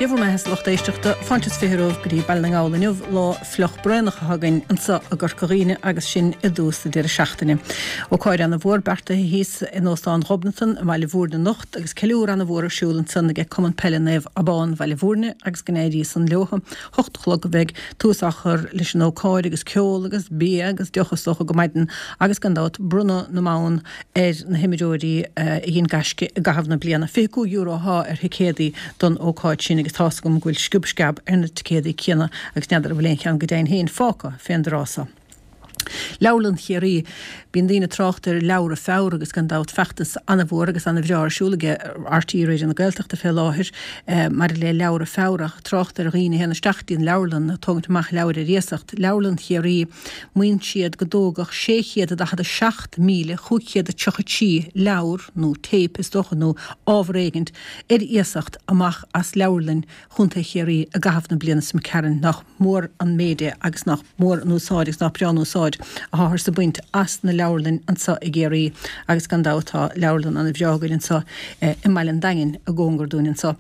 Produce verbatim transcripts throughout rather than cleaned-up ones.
Dia bhur mbeatha, a lucht éisteachta. Fáilte is fiche romhaibh go dtí Baile na nGall inniu, lá fliuch braonach atá againn anseo i gCorca Dhuibhne agus sinn i dtús na deireadh seachtaine. Ócáid ana-mhór beartaithe thíos in Óstán Ghobnatan i mBaile Bhúirne anocht agus ceiliúradh ana-mhór ar siúl ansan ag Cumann Peile Naomh Abán Bhaile Bhúirne agus go n-éirí san leothu. Hocht a chlog a bheidh tús á chur leis an ócáid agus ceol agus bia agus deoch is dócha go maidin agus gan dabht bronnadh na mbonn ar na himreoirí a dhein gaisce i gcaitheamh na bliana. Fiche cúig euro athá ar thicéadaí don ócáid sin agus tá's agam go bhfuil sciob sceab ar na ticéadaí céanna agus n'fheadar an bhfuil aon cheann go deimhin féin fágtha fén dtráth so. Leabharlann Chiarraí. Bíonn daoine ag trácht ar Leabhra Feabhra agus gan dabht feachtas ana-mhór agus ana-bhreá ar siúl ag RTÉ Raidió na Gaeltachta fé láthair maidir le Leabhra Feabhra ach trácht ar dhaoine a théann isteach dtí an leabharlann ag tógaint amach leabhair ar iasacht. Leabharlann Chiarraí, maíonn siad go dtógadh sé chéad a daichead a seacht míle chúig chéad a tríocha trí leabhar nó téip is dócha nó ábhar éigint ar iasacht amach as leabharlainn Chontae Chiarraí i gcaitheamh na bliana seo chugainn. Nach mór an méid é agus nach mór an úsáid agus nach breá an úsáid atáthar ag baint as na leabharlainn anseo i gCiarraí agus gan dabht tá leabharlann ana bhreá againn anseo i mBaile an Daingin i gcóngar dúinn anseo.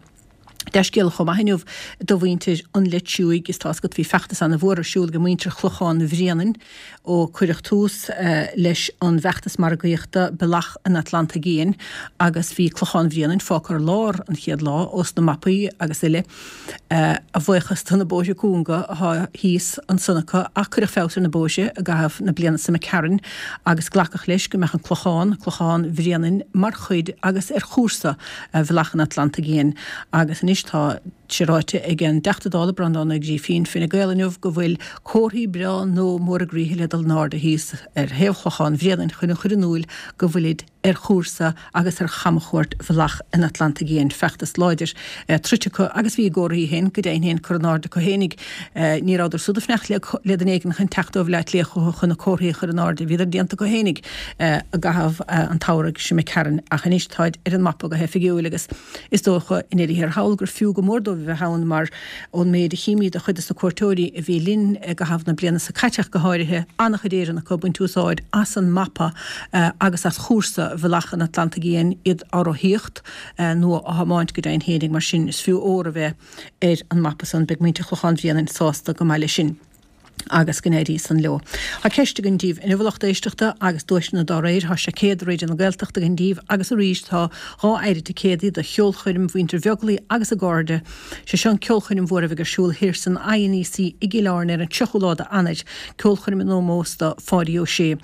Dea-scéala chomh maith inniu do mhuintir an Leitriúigh is tá's agat bhí feachtas ana mhór ar siúl ag muintir Chlochán Bhréanainn ó cuireadh tús leis an bhfeachtas margaíochta Bealach an Atlantaigh Fhiáin agus bhí Clochán Bhréanainn fágtha ar lár an chéad lá ós na mapaí agus uile a bhuíochas do na bóithre cúnga atá thíos ansan acu ach cuireadh feabhas ar na bóithre i gcaitheamh na bliana seo imigh tharainn agus glacadh leis go mbeadh an Clochán, Clochán Bhréanainn, mar chuid agus ar chúrsa Bhealach an Atlantaigh Fhiáin agus anois tá sé ráite ag an dTeachta Dála Breandán Ó Grífín, Fine Gael, inniu go bhfuil comharthaí breá nua móra groíche le dul in airde thíos ar thaobh Chlochán Bhréanainn chun a chur in iúil go bhfuilid ar chúrsa agus ar chamchuairt Bhealach an Atlantaigh Fhiáin. Feachtas láidir troidte acu agus bhí a gcomharthaí féin go deimhin féin curtha in airde acu fhéinig. Ní rabhadar siúd ag fanacht le duine éigin chun teacht ó Bhaile Átha Cliath chucu chun na comharthaí a chur in airde. Bhíodar déanta acu fhéinig i gcaitheamh an tsamhraidh seo imigh tharainn ach anois táid ar an mapa go hoifigiúil agus is dócha i ndeireadh thiar thall gur fiú go mór dóibh a bheith ann mar ón méid a chímid de chuid de na cuairteoirí a bhí linn i gcaitheamh na bliana seo caite ach go háirithe, an-chuid Éireannach acu ag baint úsáid as an mapa agus as chúrsa Bhealach an Atlantaigh Fhiáin, iad á rothaíocht nó á thiomáint go deimhin fhéinig. Mar sin is fiú ór a bheith ar an mapa san. Beidh muintir Chlochán Bhréanainn sásta go maith leis sin. Agus go n-éirí san leo. Tá ceist againn díbh inniu a lucht éisteachta agus duaiseanna dá réir. Tá seaicéad Raidió na Gaeltachta againn díbh agus arís tá dhá phéire ticéadaí do cheolchoirm mhuintir Bheaglaoí agus a gcairde. Sé seo an ceolchoirm mhór a bheidh ar siúl thiar san INEC i gCill Airne ar an tríochú lá d'Eanáir, ceolchoirm in ómós do Pháidí Ó Sé.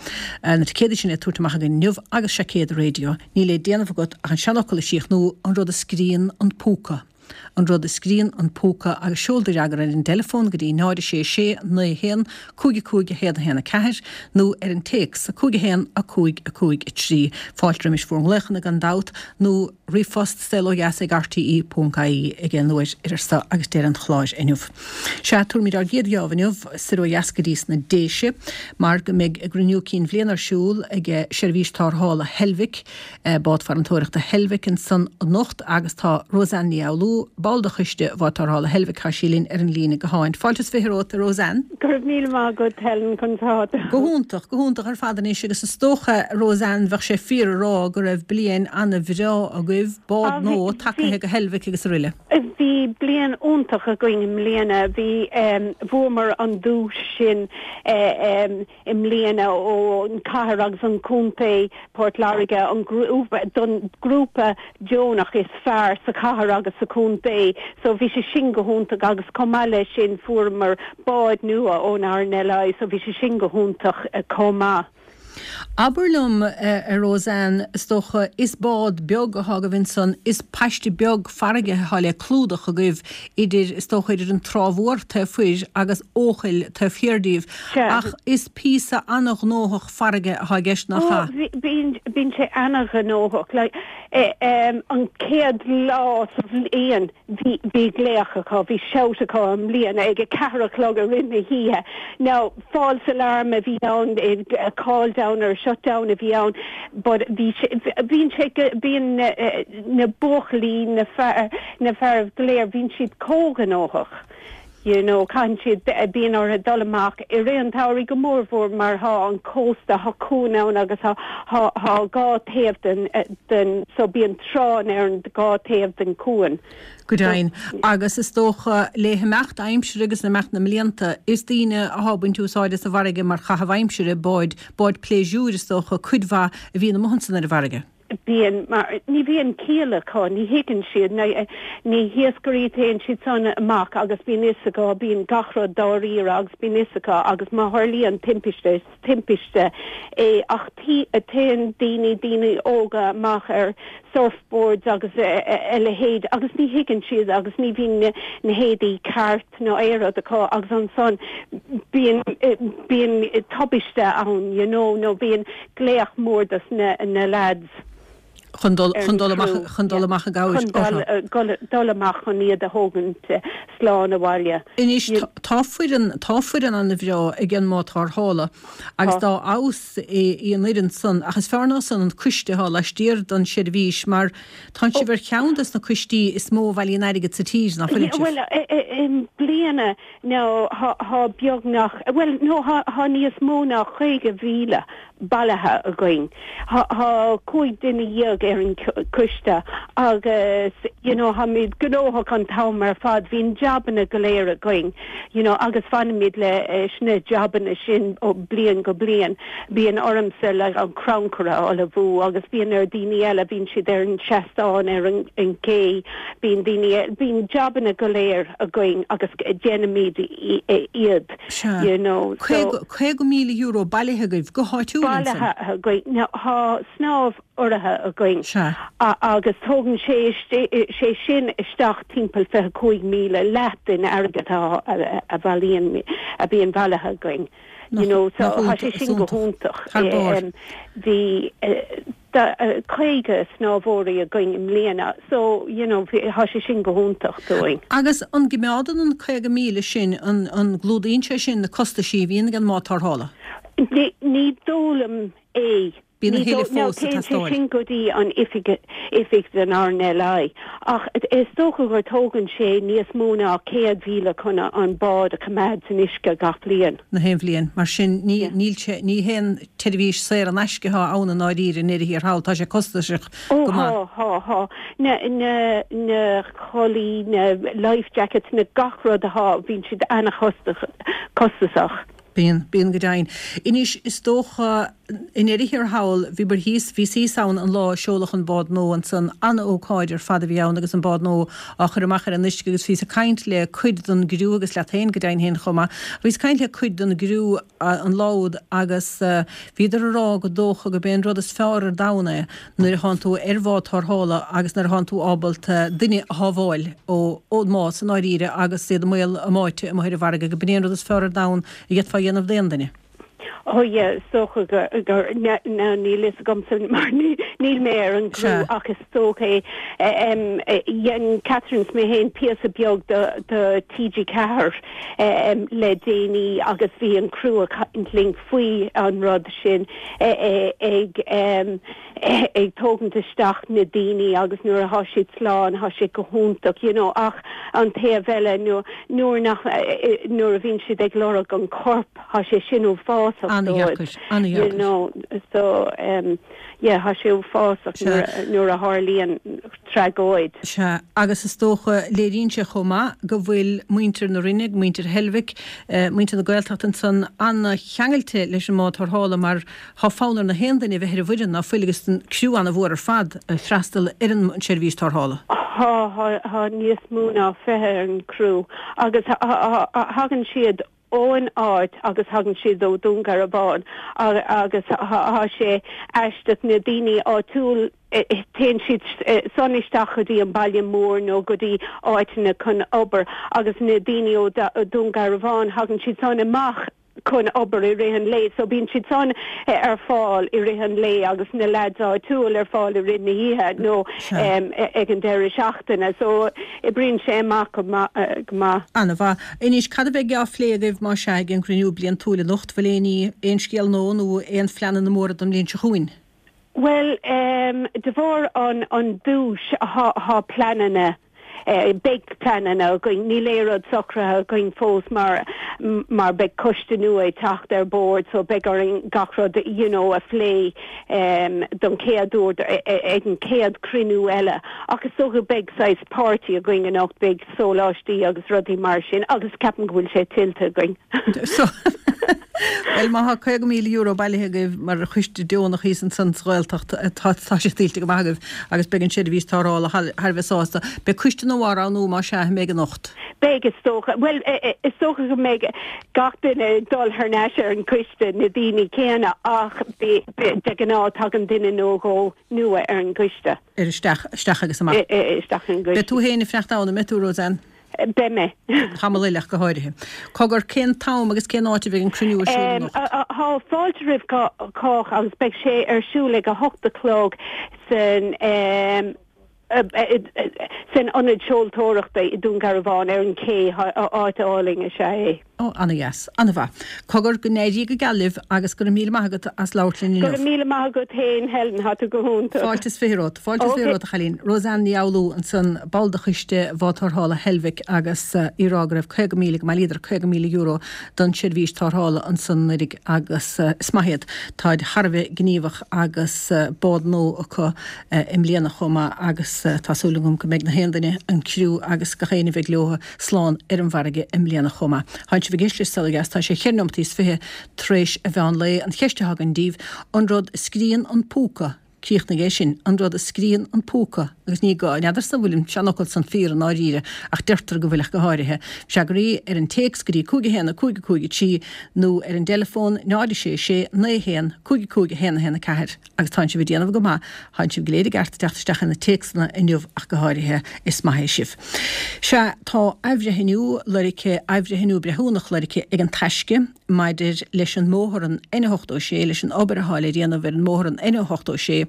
Na ticéadaí sin le tabhairt amach againn inniu agus seaicéad raidió. Níl le déanamh agat ach an seanfhocal a chríochnú, an rud a scríonn an púca. An rud a scríonn an púca agus seol do fhreagra ar an dteileafón go dtí náid a sé sé naoi a haon cúig a cúig a haon a haon a ceathair nó ar an téacs a cúig a haon a cúig a cúig a trí. Fáilte roimis bhur nglaochanna gan dabht nó ríomhphost saolódheas ag rte ponc ie ag aon uair idir seo agus deireadh an chláir inniu. Sea, tabharfaimid ár gcéad gheábh inniu soir ó dheas go dtí sna Déise mar go mbeidh a gcruinniú cinn bhliana ar siúl ag Seirbhís Tarrthála Heilbhic Bád Farantóireachta Heilbhic ansan anocht agus tá Roseanne Ní Fhoghlú, ball de choiste Bhád Tarrthála Heilbhic, tá sí linn ar an líne gutháin. Fáilte is fiche romhat, a Roseanne. Go raibh míle maith agat, Helen, conas atá tú? Go hiontach, go hiontach ar fad anois agus is dócha, Roseanne, bheadh sé fíor a rá go raibh bliain ana-bhreá agaibh, bád nua tagtha go Heilbhic agus aroile. Bhí bliain iontach againn i mbliana. Bhí, bhuamar an duais sin i mbliana ón chathair agus an contae, Port Láirge, an grúpa, don grúpa deonach is fearr sa chathair agus sa chontae. So bhí sé sin go hiontach agus chomh maith leis sin fuaireamar bád nua ón RNLI so bhí sé sin go hiontach chomh maith. Abair liom, a Roseanne, is dócha, is bád beag athá agaibh ansan, is paiste beag farraige athá le clúdach agaibh idir, is dócha, idir an Trá Mhór taobh thoir agus Eochaill taobh thiar díobh, ach is píosa ana-ghnóthach farraige athá i gceist, nach ea? Ó, bíonn, bíonn sé ana-ghnóthach. Like, an chéad lá sa bhliain, Bhí, bhí glaoch acu, bhí shout acu i mbliana ag a ceathair a chlog i rith na hoíche. Now, false alarm a bhí ann, a call down or a shut down a bhí ann but bhí sé, bíonn sé, bíonn na buachaillí, na fear, na fearaibh go léir, bíonn siad chomh gnóthach. You know, caitheann siad, bíonn orthu dul amach i rith an tsamhraidh go mór mhór mar thá an cósta, thá cuan ann agus thá, thá, thá dhá taobh den, den, so bíonn tránna ar an dhá taobh den cuan. Go deimhin. Agus is dócha le himeacht aimsire agus le himeacht na mblianta, is daoine athá ag baint úsáide as an bhfarraige mar chaitheamh aimsire, báid, báid pléisiúir is dócha, cuid mhaith a bhíonn amuigh ansan ar an bhfarraige. Bíonn, mar ní bhíonn ciall acu, ní thuigeann siad, na hiascairí téann siad san amach agus bíonn fhios acu, bíonn gach rud dáiríre agus bíonn fhios acu agus má tharlaíonn timpiste, is timpiste é ach téann daoine, daoine óga amach ar surfboards agus a leithéid agus ní thuigeann siad agus ní bhíonn na héadaí ceart nó aon rud acu agus ansan bíonn, bíonn tubaiste ann you know nó bíonn glaoch mór dos na na lads. Chun dul chun dul amach chun dul amach i gcabhair orthu. Chun dul amach chun iad a thógaint slán abhaile. Anois tá foireann tá foireann ana-bhreá ag an mbád tarrthála agus dá fheabhas í an fhoireann san ach is fearr ná san an coiste atá laistiar don seirbhís mar tánn sibh ar cheann des na coistí is mó a bhailíonn airgead sa tír, ná fuileann sibh? Bhuel i mbliana nó thá beagnach bhuel nó thá níos mó ná caoga mhíle bailithe againn. Thá cúig duine dhéag ar an coiste agus you know tháimid gnóthach an t-am ar fad, bíonn jabanna go léir againn you know agus fanfaimid leis na jabanna sin ó bliain go bliain. Bíonn ormsa le an crannchur a ullmhú agus bíonn ar daoine eile, bíonn siad ar an seastán ar an an gcé, bíonn daoine, bíonn jabanna go léir againn agus déanaimid iad Sea. you know so. Caoga míle euro bailithe agaibh go háitiúil ansan. Bailithe againn. Now thá snámh urraithe againn Sea. agus tógann sé sé sin isteach timpeall fiche cúig míle, leath den airgead atá a bhailíonn a bhíonn bailithe againn. You know so thá sé sin go hiontach. Thar barr. Bhí caoga snámhóirí againn i mbliana so you know thá sé sin go hiontach dúinn. Agus an gcoimeádann an caoga míle sin, an an gclúdaíonn sé sin na costaisí a bhíonn ag an mbád tarrthála? Ní ní dóigh liom é. Bíonn a Ní thuilleadh dóigh, now fós ag téann sé teastáil. sin go dtí an oifig oifig den RNLI ach is dócha gur tógann sé níos mó ná céad mhíle chun an bád a choimeád san uisce gach bliain. Na haon bhliain. Mar sin ní Yeah. níl sé ní haon tseirbhís saor in aisce atá ann i ndáiríre i ndeireadh thiar thall, tá sé costasach Ó go maith. thá, thá, thá. Na na na culaith, na life jackets, na gach rud athá, bíonn siad ana-chostasach costasach. Bíonn, bíonn go deimhin. Anois, is dócha, i ndeireadh thiar thall, bhíobhair thíos, bhíos thíos ann an lá a seoladh an bád nua ansan, an-ócáid ar fad a bhí ann agus an bád nua á chur amach ar an uisce agus bhíos ag caint le cuid den gcriú agus leat féin go deimhin féin chomh maith, bhíos ag caint le cuid den gcriú an lá úd agus bhíodar ag rá gur dócha gurb é an rud is fearr ar domhan é nuair a thánn tú ar bhád tarrthála agus nuair a thánn tú ábalta duine a shábháil ón mbás i ndáiríre agus iad i mbaol a mbáite amuigh ar an bhfarraige, go b'in é an rud is fearr ar domhan a d'fhéadfá a dhéanamh d'aon duine. Oh yeah, is dócha gur, gur, now níl fhios agamsa mar níl mé ar an gcriú Sea. ach is dócha é. Dhein Catherine 's mé féin píosa beag do, do TG Ceathair le déanaí agus bhí an criú ag caint linn faoi an rud sin ag ag tógaint isteach na daoine agus nuair athá siad slán thá sé go hiontach you know ach an taobh eile nuair nach nuair a bhíonn siad ag lorg an corp thá sé sin uafásach dóibh An-dheacair, you an-dheacair. know so um yeah thá sé uafásach Sea. nuair nuair a tharlaíonn tragóid. Sea, agus is dócha, léiríonn sé chomh maith go bhfuil muintir na Rinne, muintir Heilbhic, muintir na Gaeltachta ansan an-cheangailte leis an mbád tarrthála mar thá fonn ar na haon duine a bheith ar an bhfoireann, ná fuil, agus an criú an-mhór ar fad ag freastal ar an tseirbhís tarrthála. Thá, thá, thá níos mó ná fiche ar an gcriú agus thagann siad ón áit agus thagann siad ó Dún Garbhán agus thá sé aisteach na daoine áitiúil téann siad san isteach go dtí an baile mór nó go dtí áiteanna chun obair agus na daoine ó Dún Garbhán thagann siad san amach chun obair i rith an lae so bíonn siad san ar fáil i rith an lae agus na lads áitiúil ar fáil i rith na hoíche nó ag an deireadh seachtaine so oibríonn sé amach go maith. Ana-mhaith. Anois, cad a bheidh á phlé agaibh más ea ag an gcruinniú bliantúil anocht? Bhfuil aon ní, aon scéal nua nó aon phleananna móra don mbliain seo chugainn? Bhuel, de bharr an an duais thá pleananna Beidh pleananna againn, níl aon rud socraithe againn fós mar mar beidh coiste nua ag teacht ar bord so beidh orainn gach rud you know a phlé don chéad uair ag an chéad cruinniú eile. Ach is dócha beidh saghas party againn anocht, beidh sóláistí agus rudaí mar sin agus ceapaim go bhfuil sé tuillte againn. So Bhuel, má tá caoga míle euro bailithe agaibh mar choiste deonach thíos ansan sa Ghaeltacht, tá sé tuillte go maith agaibh agus beidh an seirbhís tarrthála thar a bheith sásta. Beidh coiste nua á roghnú más ea, an mbeidh anocht? Beidh, is dócha. Bhuel, is dócha go mbeidh gach duine ag dul thar n-ais ar an gcoiste, na daoine céanna, ach de ghnáth tagann duine nó dhó nua ar an gcoiste. Ar isteach, isteach agus amach. Isteach ar an gcoiste. Beidh tú féin ag fanacht ann, an mbeidh tú, Roseanne? Beidh mé. Tamall eile ach go háirithe. Cogar, cén t-am agus cén áit a bheidh an cruinniú ar siúl anocht? Tá fáilte roimh chách agus beidh sé ar siúl ag a hocht a chlog san san Ionad Seoltóireachta i Dún Garbhán ar an ché, áit álainn is ea é. Ó, ana-dheas. Ana-mhaith. Cogar, go n-éirí go geal libh agus go raibh míle maith agat as labhairt linn inniu. Go raibh míle maith agat féin, Helen, tá tú go hiontach. Fáilte is fiche romhat. Fáilte is fiche romhat, a chailín. Roseanne Ní Fhoghlú ansan, ball de choiste Bhád Tarrthála Heilbhic agus í ag rá go raibh caoga míle, go mbailíodar caoga míle euro don tseirbhís tarrthála ansan anuraidh agus is maith iad. Táid thar a bheith gníomhach agus bád nua acu i mbliana chomh maith agus tá súil agam go mbeidh na haon duine, an criú agus gach éinne a bheidh leo slán ar an bhfarraige i mbliana chomh maith. Tánn sibh ag éisteacht le Saol Ó Dheas, tá sé cheithre nóimeataí is fiche tar éis a mheán lae. An cheist atá againn daoibh, an rud a scríonn an púca, críochnaigh é sin, an rud a scríonn an púca, agus ní gá, n'fheadarsa an bhfuil an seanfhocal san fíor i ndáiríre, ach deirtear go bhfuil ach go háirithe. Freagraí ar an téacs go dtí cúig a haon a cúig a cúig a trí nó ar an dteileafón náid a sé sé naoi a haon cúig a cúig a haon a haon a ceathair. Agus tánn sibh ag déanamh go maith, tánn sibh go léir i gceart ag teacht isteach ar na téacsanna inniu ach go háirithe, is maith é sibh. Sea, tá athbhreithniú lorgtha, athbhreithniú breithiúnach lorgtha ag An Taisce maidir leis an mbóthar an N ochtó sé, leis an obair atá le déanamh ar an mbóthar an N ochtó sé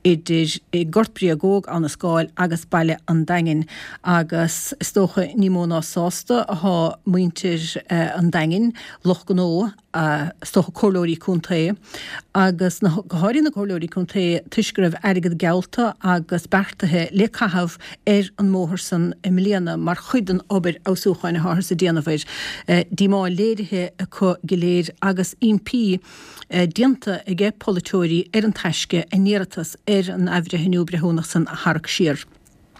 idir Gort Bréagóg, Abha na Scáil agus Baile an Daingin agus is dócha ní mó ná sásta athá muintir an Daingin, lucht gnó, is dócha comhairleoirí contae agus na, go háirithe na comhairleoirí contae toisc go raibh airgead geallta agus beartaithe le caitheamh ar an mbóthar san i mbliana mar chuid den obair fheabhsúcháin atáthar ag déanamh air. Díomá léirithe acu go léir agus impí déanta aige polaiteoirí ar An Taisce a n-iarratas ar an athbhreithniú breithiúnach san a tharrac siar.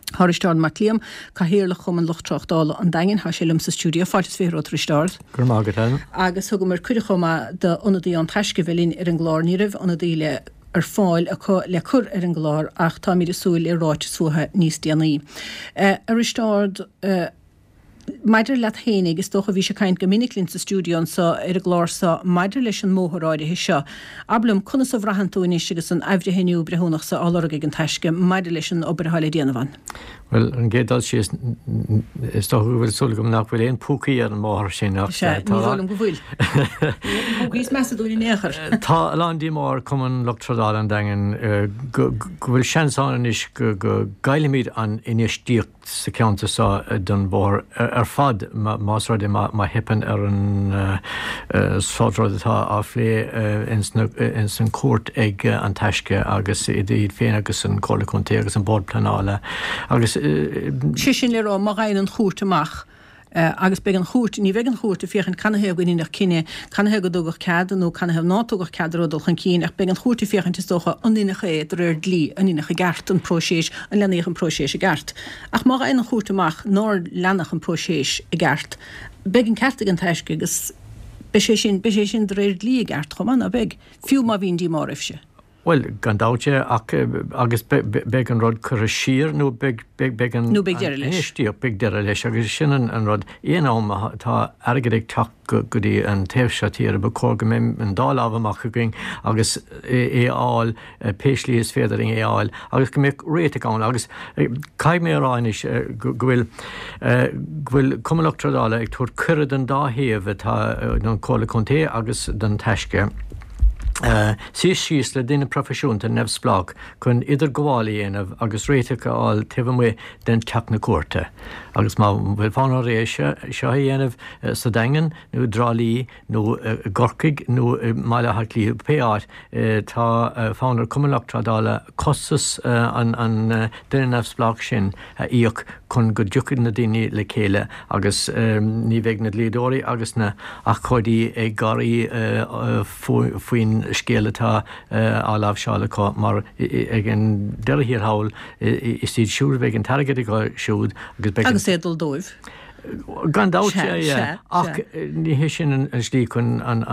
Tá Risteárd Mac Liam, Cathaoirleach Chumann Lucht Tráchtála an Daingin, tá sé liom sa stiúideo. Fáilte is fiche romhat, a Risteárd. Go raibh maith agat, Helen. Agus thugamar cuireadh chomh maith d'ionadaí An Taisce a bheith linn ar an gclár. Ní raibh ionadaí le ar fáil acu le cur ar an gclár ach táimid ag súil le ráiteas uathu níos déanaí. A Risteárd, Maidir leat fhéinig, is dócha, bhís ag caint go minic linn sa stiúideo anseo ar an gclár seo maidir leis an mbóthar áirithe seo. Abair liom, conas a bhraitheann tú anois agus an athbhreithniú breithiúnach seo á lorg ag An Taisce maidir leis an obair atá le déanamh ann? Bhuel, an gcéad dul síos, is dócha go bhfuil súil agam nach bhfuil aon phúcaí ar an mbóthar sin ach Sea, ní dóigh liom go bhfuil. Ní púcaí is measa dúinn in aon chor. Tá a lán díomá ar Chumann Lucht Trádála an Daingin go bhfuil seans ann anois go gcaillfimid an infheistíocht sa cheantar seo don bhóthar ar fad más rud é má theipeann ar an sórt rud atá á phlé ins an chúirt ag An Taisce agus iad féin agus an Chomhairle Contae agus an Bord Pleanála agus. Sé sin le rá má fhaigheann an chúirt amach agus beidh an chúirt, ní bheidh an chúirt ag féachaint canathaobh go ndeineadh cinneadh, canathaobh go dtugadh cead nó canathaobh ná tugadh cead an rud dul chun cinn ach beidh an chúirt ag féachaint is dócha an ndeineadh é de réir dlí, an ndeineadh i gceart an próiseas, an leanaíodh an próiseas i gceart. Ach má fhaigheann an chúirt amach nár leanadh an próiseas i gceart, beidh an ceart ag An Taisce agus beidh sé sin, beidh sé sin de réir dlí i gceart chomh maith, ná beidh? Fiú má bhíonn díomá oraibhse. Bhuel, gan dabht é, ach agus beidh an rud curtha siar nó beidh beidh an Nó beidh deireadh leis. infheistíocht, beidh deireadh leis agus sin an rud. Aon am atá airgead ag teacht go dtí an taobh seo tíre, ba chóir go mbeidh an dá lámh amach againn agus é a fháil pé slí is féidir linn é a fháil agus go mbeadh réiteach ann agus caithfidh mé a rá anois go bhfuil go bhfuil Cumann Lucht Trádála ag tabhairt cuireadh don dá thaobh atá don Chomhairle Contae agus don Taisce. Suí síos le duine proifisiúnta neamhspleách chun idirghabháil a dhéanamh agus réiteach a fháil taobh amuigh den teach na cúirte. Agus má bhfuil fonn orthu é seo a dhéanamh sa Daingean nó i dTrá Lí nó i gCorcaigh nó i mBaile Átha Cliath, pé áit, tá fonn ar Chumann Lucht Trádála costas an duine neamhspleách sin a íoc chun go dtiocfaidh na daoine le chéile agus ní bheidh na dlíodóirí agus na abhcóidí ag gáirí faoin scéal atá á láimhseáil acu mar ag an deireadh thiar thall is iad siúd a bheidh an t-airgead acu siúd agus beidh an. Agus é ag dul dóibh. Gan dabht, ach ní hé sin an slí chun an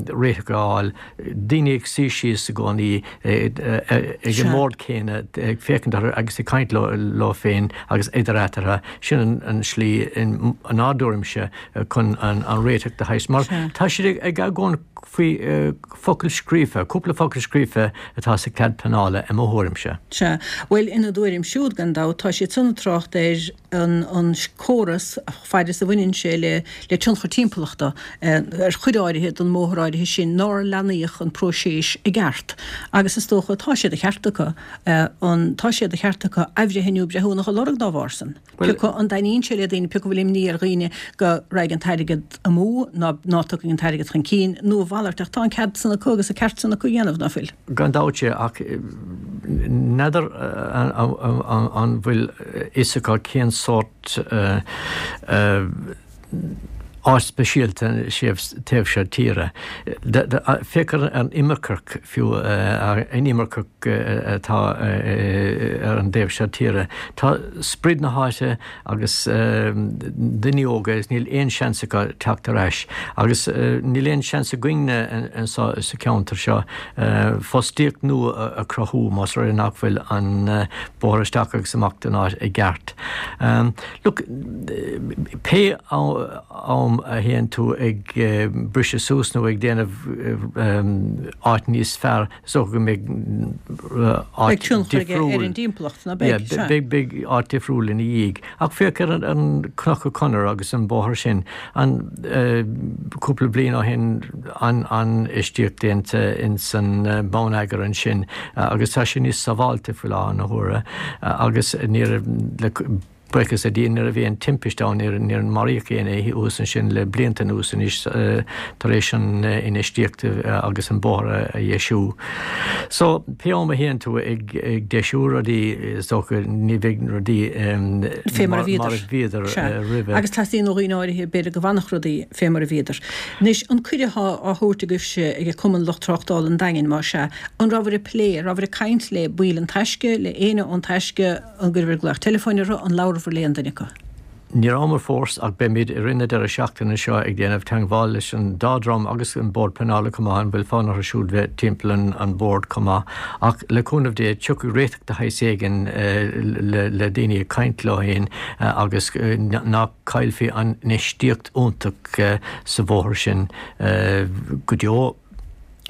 réiteach a fháil. Daoine ag suí síos i gcónaí ag an mbord céanna, ag féachaint orthu agus ag caint leo féin agus idir eatarthu, sin an slí inár dtuairimse chun an réiteach de shaghas. Mar tá siad ag argóint faoi focal scríofa, cúpla focal scríofa atá sa chead pleanála i mo thuairimse. Sea. Bhuel, ina dtuairim siúd, gan dabht, tá siad san ag trácht ar an córas fad is a bhaineann sé le le tionchar timpeallachta ar chuid áirithe den mbóthar áirithe sin nár leanaíodh an próiseas i gceart agus is dócha tá sé de cheart acu an tá sé de cheart acu athbhreithniú breithiúnach a lorg dá bharr san. Pé acu an dtaitníonn sé le daoine, pé acu bhfuil imní ar dhaoine go raghaidh an t-airgead amú ná ná tiocfaidh an t-airgead chun cinn nó a mhalairt ach tá an cead san acu agus an ceart san acu a dhéanamh, ná fuil? Gan dabht sea ach n'fheadar an bhfuil fhios acu cén sórt áit speisialta taobh seo tíre. Féach ar an imirceach fiú, an imirceach atá ar an dtaobh seo tíre. Tá sprid na háite agus daoine óga is níl aon seans acu teacht ar ais agus níl aon seans againne anseo sa cheantar seo fostaíocht nua a chruthú más rud é nach bhfuil an bóthar isteach agus amach den áit i gceart. Look, pé am a théann tú ag briseadh suas nó ag déanamh áit níos fearr, is dócha go mbeidh áit difriúil ar an dtimpeallacht, ná beidh? Yeah, beidh, beidh áit difriúil ina dhiaidh. Ach féach ar an Cnoc Conair agus an bóthar sin, an cúpla bliain ó shin an an-infheistíocht déanta ins an bonneagar ansin agus tá sé níos sábháilte faoi láthair na huaire agus níor le Buíochas le Dia ní raibh aon timpiste ann, níor níor maraíodh éinne thuas ansin le blianta anuas anois tar éis an infheistíocht agus an bóthar a dheisiú. So, pé am a théann tú ag ag deisiú rudaí is dócha ní bheidh rudaí Fé mar a mar bhíodar. a bhíodar Sea. roimhe. Agus teastaíonn ó dhaoine áirithe b'fhéidir go bhfanfadh rudaí fé mar a bhíodar. Anois, an cuireadh atá á thabhairt agaibhse ag Cumann Lucht Tráchtála an Daingin, más ea, an rabhabhair ag plé, an rabhabhair ag caint le baill an Taisce, le éinne ón Taisce, An gcuireabhair glaoch teileafóin orthu? An labhrabhair le aon duine acu? Ní rabhamar fós ach beimid i rith na deireadh seachtaine seo ag déanamh teagmháil leis an dá dhream agus an Bord Pleanála chomh maith, an bhfuil fonn orthu siúd bheith timpeall an bhoird chomh maith. Ach le cúnamh Dé tiocfaidh réiteach de shaghas éigin le daoine ag caint leo féin agus nach gcaillfí an infheistíocht iontach sa bhóthar sin go deo.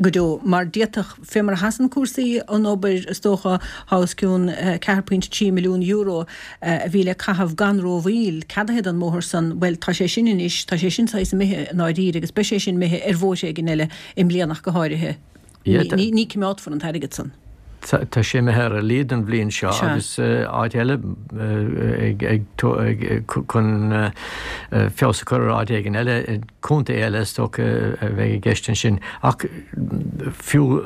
go deo, mar d'fhéadfadh, fé mar a sheasann cúrsaí, an obair, is dócha, tá os cionn ceathair pointe trí milliún euro a bhí le caitheamh gan rómhoill, ceadaithe don mbóthar san, bhuel, tá sé sin anois, tá sé sin saghas imithe i ndáiríre agus beidh sé sin imithe ar bhóithre éigin eile i mbliana ach go háirithe. Ní coimeádfar an t-airgead san. Tá sé imithe ar a laghad don bhliain seo agus áit eile chun feabhas a chur ar áit éigin eile, contae eile is dócha a bheidh i gceist ansin. Ach fiú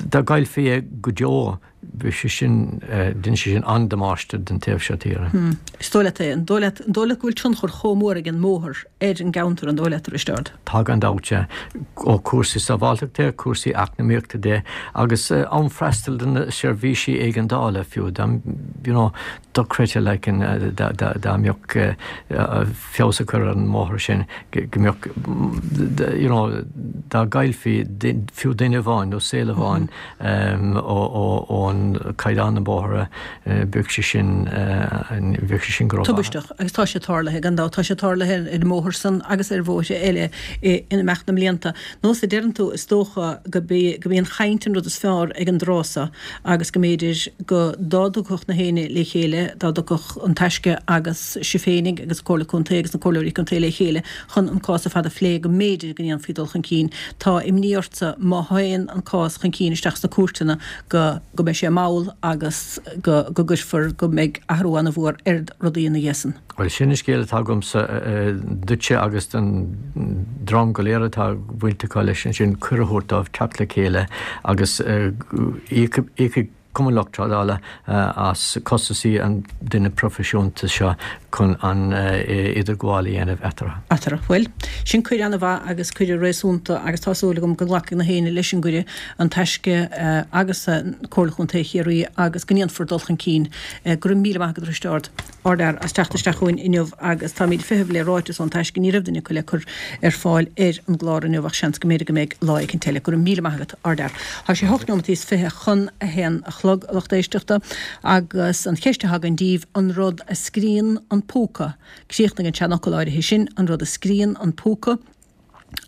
dá gcaillfí é go deo, bheadh sé sin, dhein sé sin an-damáiste don taobh seo tíre. Is dóigh leat é? An dóigh leat, an dóigh leat go bhfuil tionchar chomh mór ag an mbóthar ar an gceantar, an dóigh leat, a Risteárd? Tá gan dabht, sea. Ó chúrsaí sábháilteachta de, cúrsaí eacnamaíochta de agus am freastal do na seirbhísí éigeandála fiú. Dá, you know, dochreidte like an, dá, dá, dá mbeadh feabhas a chur ar an mbóthar sin go mbeadh, you know, dá gcaillfí fiú duine amháin nó saol amháin ó, ó, ón caighdeán na bóithre, bheadh sé sin, bheadh sé sin go rómhaith. Tubaisteach, agus tá sé tarlaithe, gan dabht, tá sé tarlaithe ar an mbóthar san agus ar bhóithre eile in imeacht na mblianta. Nós a deireann tú, is dócha go b'í go b'í an chaint an rud is fearr ag an dtráth so agus go mb'fhéidir go dá dtiocfadh na héinne le chéile, dá dtiocfadh an Taisce agus sibh féinig agus Comhairle Contae agus na Comhairleoirí Contae le chéile chun an cás ar fad a phlé go mb'fhéidir go ndéanfaí dul chun cinn. Tá imní ortsa má théann an cás chun cinn isteach sna cúirteanna go go mbeidh sé mall agus go go gcuirfear go mbeidh athrú an-mhór ar rudaí ina dhiaidh san. Bhuel, sin an scéal atá agamsa duitse agus don dream go léir atá baint acu leis ansin, cuireadh a thabhairt dóibh teacht le chéile agus íocfaidh Cumann Lucht Trádála as costasaí an duine proifisiúnta seo chun an idirghabháil a dhéanamh eatarthu. Eatarthu. Bhuel, sin cuireadh an-mhaith agus cuireadh réasúnta agus tá súil agam go nglacfaidh na héinne leis an gcuireadh, an Taisce agus Comhairle Chontae Chiarraí agus go ndéanfar dul chun cinn. Go raibh míle maith agat a Risteárd. Ardfhear as teacht isteach chugainn inniu agus táimid ag feitheamh le ráiteas ón Taisce. Ní raibh duine acu le cur ar fáil ar an gclár inniu ach seans go mb'fhéidir go mbeidh lá éicint eile. Go raibh míle maith agat, Ardfhear. Tá sé hocht neomat is fiche chun a haon a chlog, a lucht éisteachta, agus an cheist atá againn daoibh, an rud a scríonn an púca? Críochnaigh an seanfhocal áirithe sin, an rud a scríonn an púca?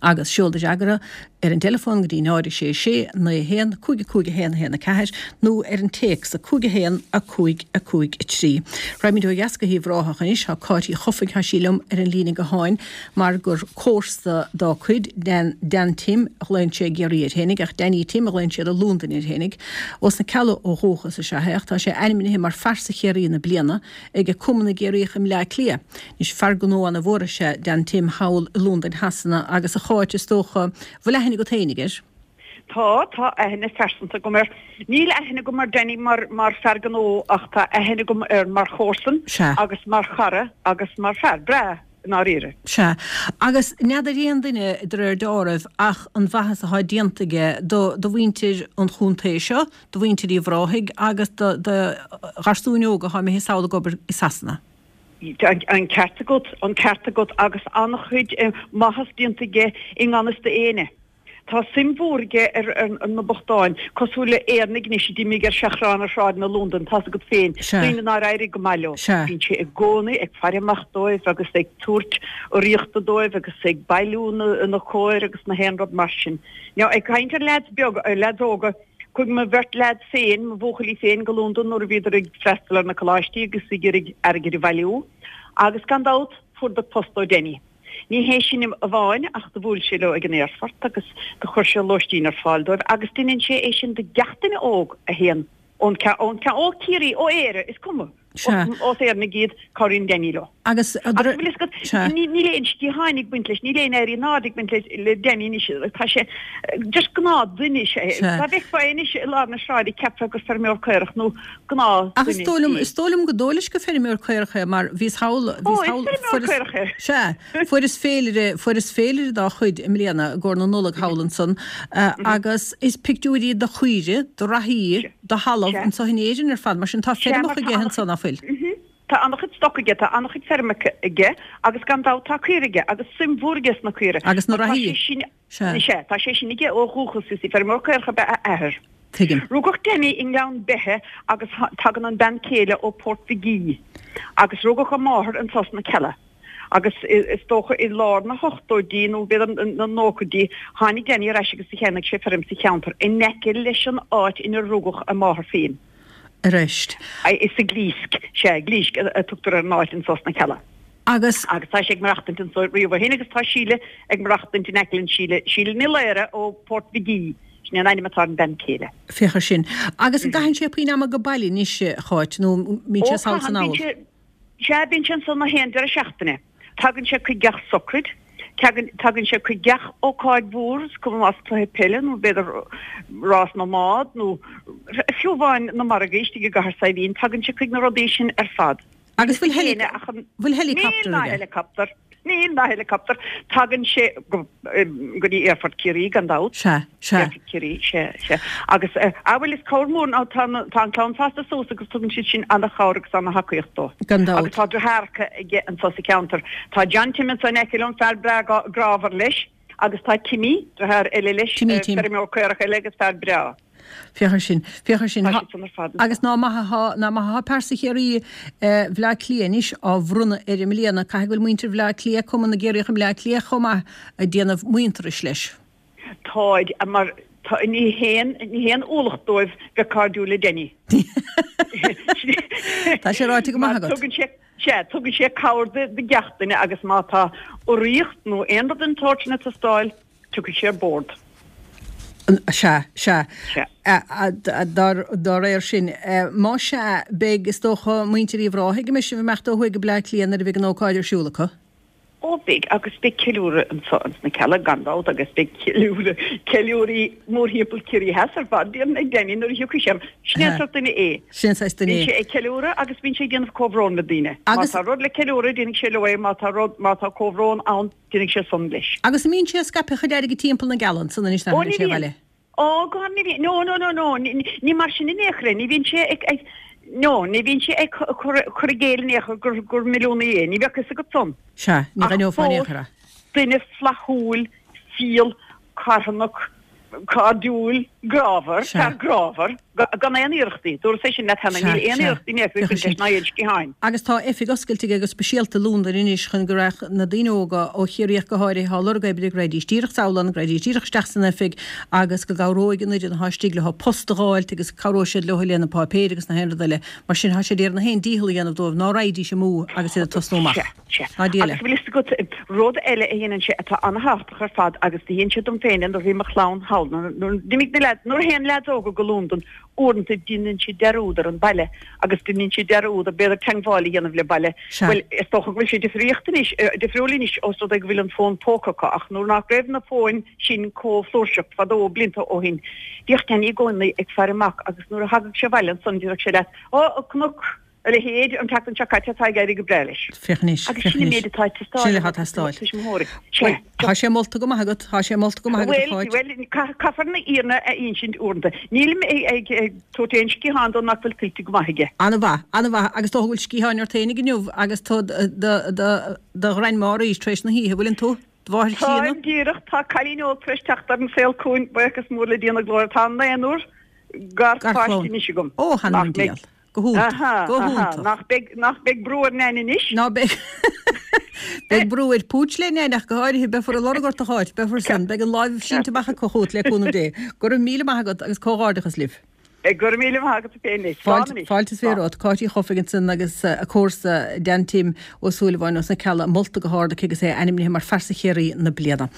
Agus seol do fhreagra ar an dteileafón go dtí náid a sé sé naoi a haon cúig a cúig a haon a haon a ceathair nó ar an téacs a cúig a haon a cúig a cúig a trí. Raghaimid ó dheas go hUíbh Ráthach anois. Tá Cáit Uí Chofaigh, tá sí liom ar an líne gutháin mar gur comharsa dá cuid, Dan, Dan Tim a ghlaonn sé i gCiarraí air fhéinig ach Danny Tim a ghlaonn siad i Londain air fhéinig. Ós na Cealla ó dhúchas is ea é ach tá sé ainmnithe mar Phearsa Chiarraí na Bliana ag Cumann na gCiarraíoch i mBleá Cliath. Anois, fear gnó ana mhór is ea Dan Tim thall i Londain Shasana agus a Cháit, is dócha, bhfuil aithne agat fhéinig air? Tá, tá aithne phearsanta agam air. Níl aithne agam ar Danny mar, mar fear gnó ach tá aithne agam air mar chomharsan Sea. agus mar chara agus mar fear breá, i ndáiríre. Sea. Agus n'fheadar aon duine de réir deáraimh ach an mhaitheas atá déanta aige do, do mhuintir an chontae seo, do mhuintir Uíbh Ráthaigh agus do, do gharsúin óga atá imithe sall ag obair i Sasana. An ceart agat, an ceart agat agus an-chuid maitheas déanta aige i ngan fhios d'éinne. Tá suim mhór aige ar na bochtáin, cosúil le Éireannaigh anois a d'imigh ar seachrán ar shráideanna Londan, tá's agat féin, daoine nár éirigh go maith leo. Bíonn sé i gcónaí ag faire amach dóibh agus ag tabhairt urraíochta dóibh agus ag bailiú na cóir agus na haon rud mar sin. Now ag caint ar leaids beaga, ar leaids óga, Chuaigh mo bheirt leaids féin, mo bhuachaillí féin, go Londain nuair a bhíodar ag freastal ar na coláistí agus ag iarraidh airgead a bhailiú agus gan dabht fuaireadar post ó Denny. Ní hé sin amháin ach do bhuail sé leo ag an aerfort agus do chuir sé lóistín ar fáil dóibh agus deineann sé é sin do gach duine óg a théann ón, ón, ó Ciarraí, ó Éire, is cuma. Sea. Ós Éireannaigh iad, cabhraíonn Danny leo. Agus, Agus bhfuil fhios agat, Sea. níl aon sciatháin ag baint leis, níl aon éirí in airde ag baint le Danny anois, tá sé just gnáth-dhuine is ea é. Sea. Dá bhfeicfeá é anois i lár na sráide cheapfá gur feirmeoir caorach nó gnáth-dhuine Ach is dóigh liom, é. is dóigh liom go dóigh leis gur feirmeoir caorach é mar bhíos thall, Ó, bhíos is thall, feirmeoir fuaireas, caorach é. sea, fuaireas féilire, fuaireas féilire dá chuid i mbliana i gcomhair na Nollag thall ansan agus is pictiúirí de chaoirigh, de reathaí, Sea. de thalamh Sea. anso in Éirinn ar fad, mar sin tá Sea, mar feirmeacha tá aige an-chuid, anso, ná fuil? mhm, tá an-chuid stoc aige, tá an-chuid feirmeacha aige agus gan dabht tá caoirigh aige agus suim mhór aige sna caoirigh. Agus na Mar tá reathaí. sé sin, Sea. sea, tá sé sin aige ó dhúchas, you see, feirmeoir caorach ab ea a athair. Tuigim. Rugadh Danny i nGleann Beithe agus tagann an bean chéile ó Port Mhig Aoidh agus rugadh a máthair anso sna Cealla. Agus is dócha i lár na hochtóidí nó b'fhéidir na nóchaidí, tháinig Danny ar ais agus cheannaigh sé feirm sa cheantar in aice leis an áit inar rugadh a máthair féin. Arís. Is sa Ghlísc, sea, Glísc a tugtar ar an áit anso sna Cealla. Agus. Agus tá sé ag maireachtaint anso riamh ó shin agus tá Síle ag maireachtaint in aice linn, Síle, Síle Ní Laoire ó Port Mhig Aoidh, sin é an ainm atá ar an bhean chéile. Féach ar sin. Agus an gcaitheann sé puinn ama go baile anois, a Cháit, nó mbíonn Ó, sé sall caitheann, san bíonn anall? sé, Sea, bíonn sé anso na haon deireadh seachtaine. Tagann sé chuig gach socraid, tagann, tagann sé chuig gach ócáid mhór, is cuma más cluiche peile nó b'fhéidir rás na mbád nó fiú amháin na margaí istigh i gCathair Saidhbhín, tagann sé chuig na rudaí sin ar fad. Agus Níl bhfuil éinne ach an. bhfuil Níl helicopter ná aige? helicopter. Níl ná helicopter. Tagann sé go go dtí Aerfort Chiarraí gan dabht. Sea, sea. Aerfort Chiarraí, sea, sea. Agus, ah bhuel is cabhair mór ná tá tá an clann fásta suas agus tugann siad sin ana-chabhair agus ana-thacaíocht dó. Gan dabht. Agus tá deartháireacha aige anso sa cheantar. Tá John Tim anso in aice liom, fear breá grámhar leis, agus tá Timmy, deartháir eile leis, Timmy Tim. feirmeoir caorach eile agus fear breá. Féach air sin, féach air sin. Tá siad san ar fad. Agus ná maith athá, ná maith athá pearsa Chiarraí Bhleá Cliath anois á bhronnadh air i mbliana. Caithfidh go bhfuil muintir Bhleá Cliath, Cumann na gCiarraíoch i mBleá Cliath chomh maith, ag déanamh muintearais leis. Táid, mar tá, ní haon, ní haon ualach dóibh bheith cairdiúil le Denny. Tá sé ráite go maith Mar agat. tugann sé, sea, tugann sé cabhair do, do gach duine agus má tá urraíocht nó aon rud den tsórt sin ag teastáil, tiocfaidh sé ar bord. Sea, sea. Sea. Dá réir sin, más sea, beidh, is dócha, muintir Uíbh Ráthaigh ag imeacht sibh imeacht ó thuaidh go Bleá Cliath nuair a bheidh an ócáid ar siúl acu. Ó, beidh, agus beidh ceiliúradh anso ins na Cealla gan dabht agus beidh ceiliúradh, ceiliúraí mórthimpeall Ciarraí Theas ar fad, déarfainn, ag Danny nuair a thiocfaidh sé. Sin é an sórt duine é. Sin an saghas duine Bíonn é. sé ag ceiliúradh agus bíonn sé ag déanamh comhbhrón le daoine. Má Agus. tá rud le ceiliúradh, déanfaidh sé leo é, má tá rud, má tá comhbhrón ann, Déanfaidh sé san leis. Agus an mbíonn sé ag scaipeadh a chuid airgid timpeall na gCealla ansan anois Ó, nach ní bhfuil sé bhíonn. abhaile? Ó, go ní bhíonn. No, no, no, no, ní mar sin in aon chor é. Ní bhíonn sé ag, ag, no, ní bhíonn sé ag cur, cur i gcéill in aon chor gur, gur milliúnaí é. Ní bheadh fhios agat san. Sea, ní Ach aithneofá in aon fós, chor é. duine flaithiúil, fial, carthanach, cairdiúil, grámhar, Sea. fear grámhar, gan aon iarrachtaí. Dúras é sin leat cheana, Sea, níl aon sea. iarrachtaí in aon chor ag Féach baint sin. leis ná aon sciatháin. Agus tá oifig oscailte aige go speisialta i Londain anois chun go raghadh na daoine óga, ó Chiarraí ach go háirithe, atá ag lorg oibre, go raghaidís díreach sall ann, go raghaidís díreach isteach san oifig agus go gcabhróidh an fhoireann atá istigh leo post a dh'fháilt agus cabhróidh siad leo le na páipéir agus na haon rud eile. Mar sin, tá sé ag iarraidh na haon dícheall a dhéanamh dóibh ná raghaidís amú agus iad ag tosnú amach. Sea, sea. Ná Dia Agus leat. bhfuil fhios agat, rud eile a dhéanann sé atá an-thábhachtach ar fad agus do dhein sé dom féin é nuair a bhí mo chlann thall, nuair a d'imigh na leaids, nuair a théann leaids óga go Londain, uaireanta déanann siad dearúd ar an baile agus déanann siad dearúd ar b'fhéidir teangmháil a dhéanamh le baile. Sea. Bhuel, is dócha go bhfuil sé difríocht anois, difriúil anois ós rud é go bhfuil an fón póca acu ach nuair nach raibh na fóin sin chomh flúirseach fadó blianta ó shin, bhíodh Danny i gcónaí ag faire amach agus nuair a thagadh sé abhaile ansan déarfadh sé leat, Ó, chonac a leithéid an tseachtain seo caite tá ag éirí go breá leis. Féach anois, Agus féach sin an anois. méid atá ag teastáil Sin ó atá ag teastáil. tuismitheoirí. Bhuel, Sea. tá sé molta go maith agat, tá sé molta go maith agat, a Bhuel, Cháit. bhuel, caithfear na fhírinne a insint uaireanta. Nílim ag ag tabhairt aon sciathán dó nach bhfuil tuillte go maith aige. An-mhaith, an-mhaith, agus dócha go bhfuil sciatháin ort féinig inniu agus tú do do do ghrandma arís tar éis na hoíche, bhfuileann tú? Do mháthair chríonna? Táim díreach, tá cailín óg tar éis teacht ar an saol chugainn, buíochas mór le Dia na glóire, tá naonúr garpháistí anois agam. Ó, th'anam Nach 'on mbeidh diabhal. Go hiontach. Aha, Go aha, hiontach. nach beidh, nach beidh brú ar Nain anois? Ná beidh. Beidh brú ar Pooch le Nain ach go háirithe, beifear ag lorg ort a Cháit, beifear san, beidh an láimh sínte amach acu chugat le cúnamh Dé. Go raibh míle maith agat agus comhghairdeachas libh. Go raibh míle maith agat féin anois. Slán Fáilte, anois. fáilte is fiche Slán. romhat. Cáit Uí Chofaigh ansan agus a comharsa Dan Tim Ó Súilleabháin ós na Cealla molta go hard aici agus é ainmnithe mar Phearsa Chiarraí na Bliana.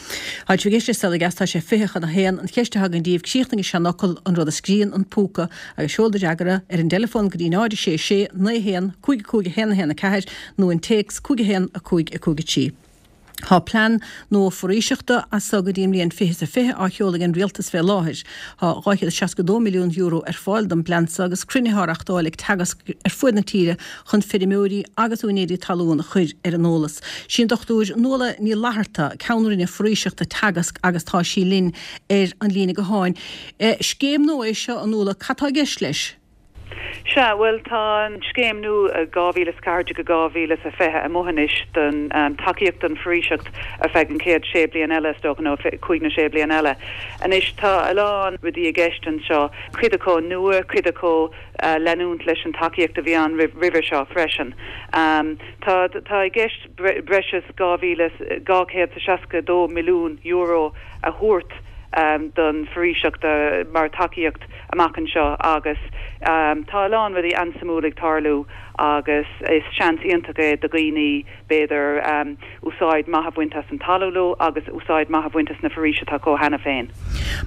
Tá sibh ag éisteacht le Saol Ó Dheas, tá sé fiche chun a haon. An cheist atá againn daoibh, críochnaigh an seanfhocal, an rud a scríonn an púca, agus seol do fhreagra ar an dteileafón go dtí náid a sé sé naoi a haon cúig a cúig a haon a haon a ceathair nó an téacs cúig a haon a cúig a cúig a trí. Tá plean nua foraoiseachta as so go dtí an mbliain fiche is a fiche á sheoladh ag an rialtas fé láthair. Tá dhá chéad is seasca dó milliún euro ar fáil don bplean so agus cruinnithe á reachtáil ag Teagasc ar fuaid na tíre chun feirmeoirí agus úinéirí talún a chur ar an eolas. Sí an Dochtúir Nuala Ní Fhlatharta, Ceann Roinne Foraoiseachta Teagasc agus tá sí linn ar an líne gutháin. Scéim nua é seo, a Nuala, cad tá i gceist leis? Sea, bhuel tá an scéim nua dhá mhíle is ceathair déag go dhá mhíle is a fiche amuigh anois don tacaíocht don foraoiseacht ar feadh an chéad sé bliain eile, is dócha, nó cúig nó sé bliain eile. Anois tá a lán rudaí i gceist anseo, cuid acu nua, cuid acu leanúint leis an tacaíocht a bhí ann roimhe seo freisin. Tá tá i gceist breis is dhá mhíle dhá chéad is seasca dó milliún euro a thabhairt don foraoiseacht mar tacaíocht amach anseo agus tá a lán rudaí an-suimiúil ag tarlú agus is seans iontach é do dhaoine b'fhéidir úsáid maith a bhaint as an talamh leo agus úsáid maith a bhaint as na foraoisí atá acu cheana féin.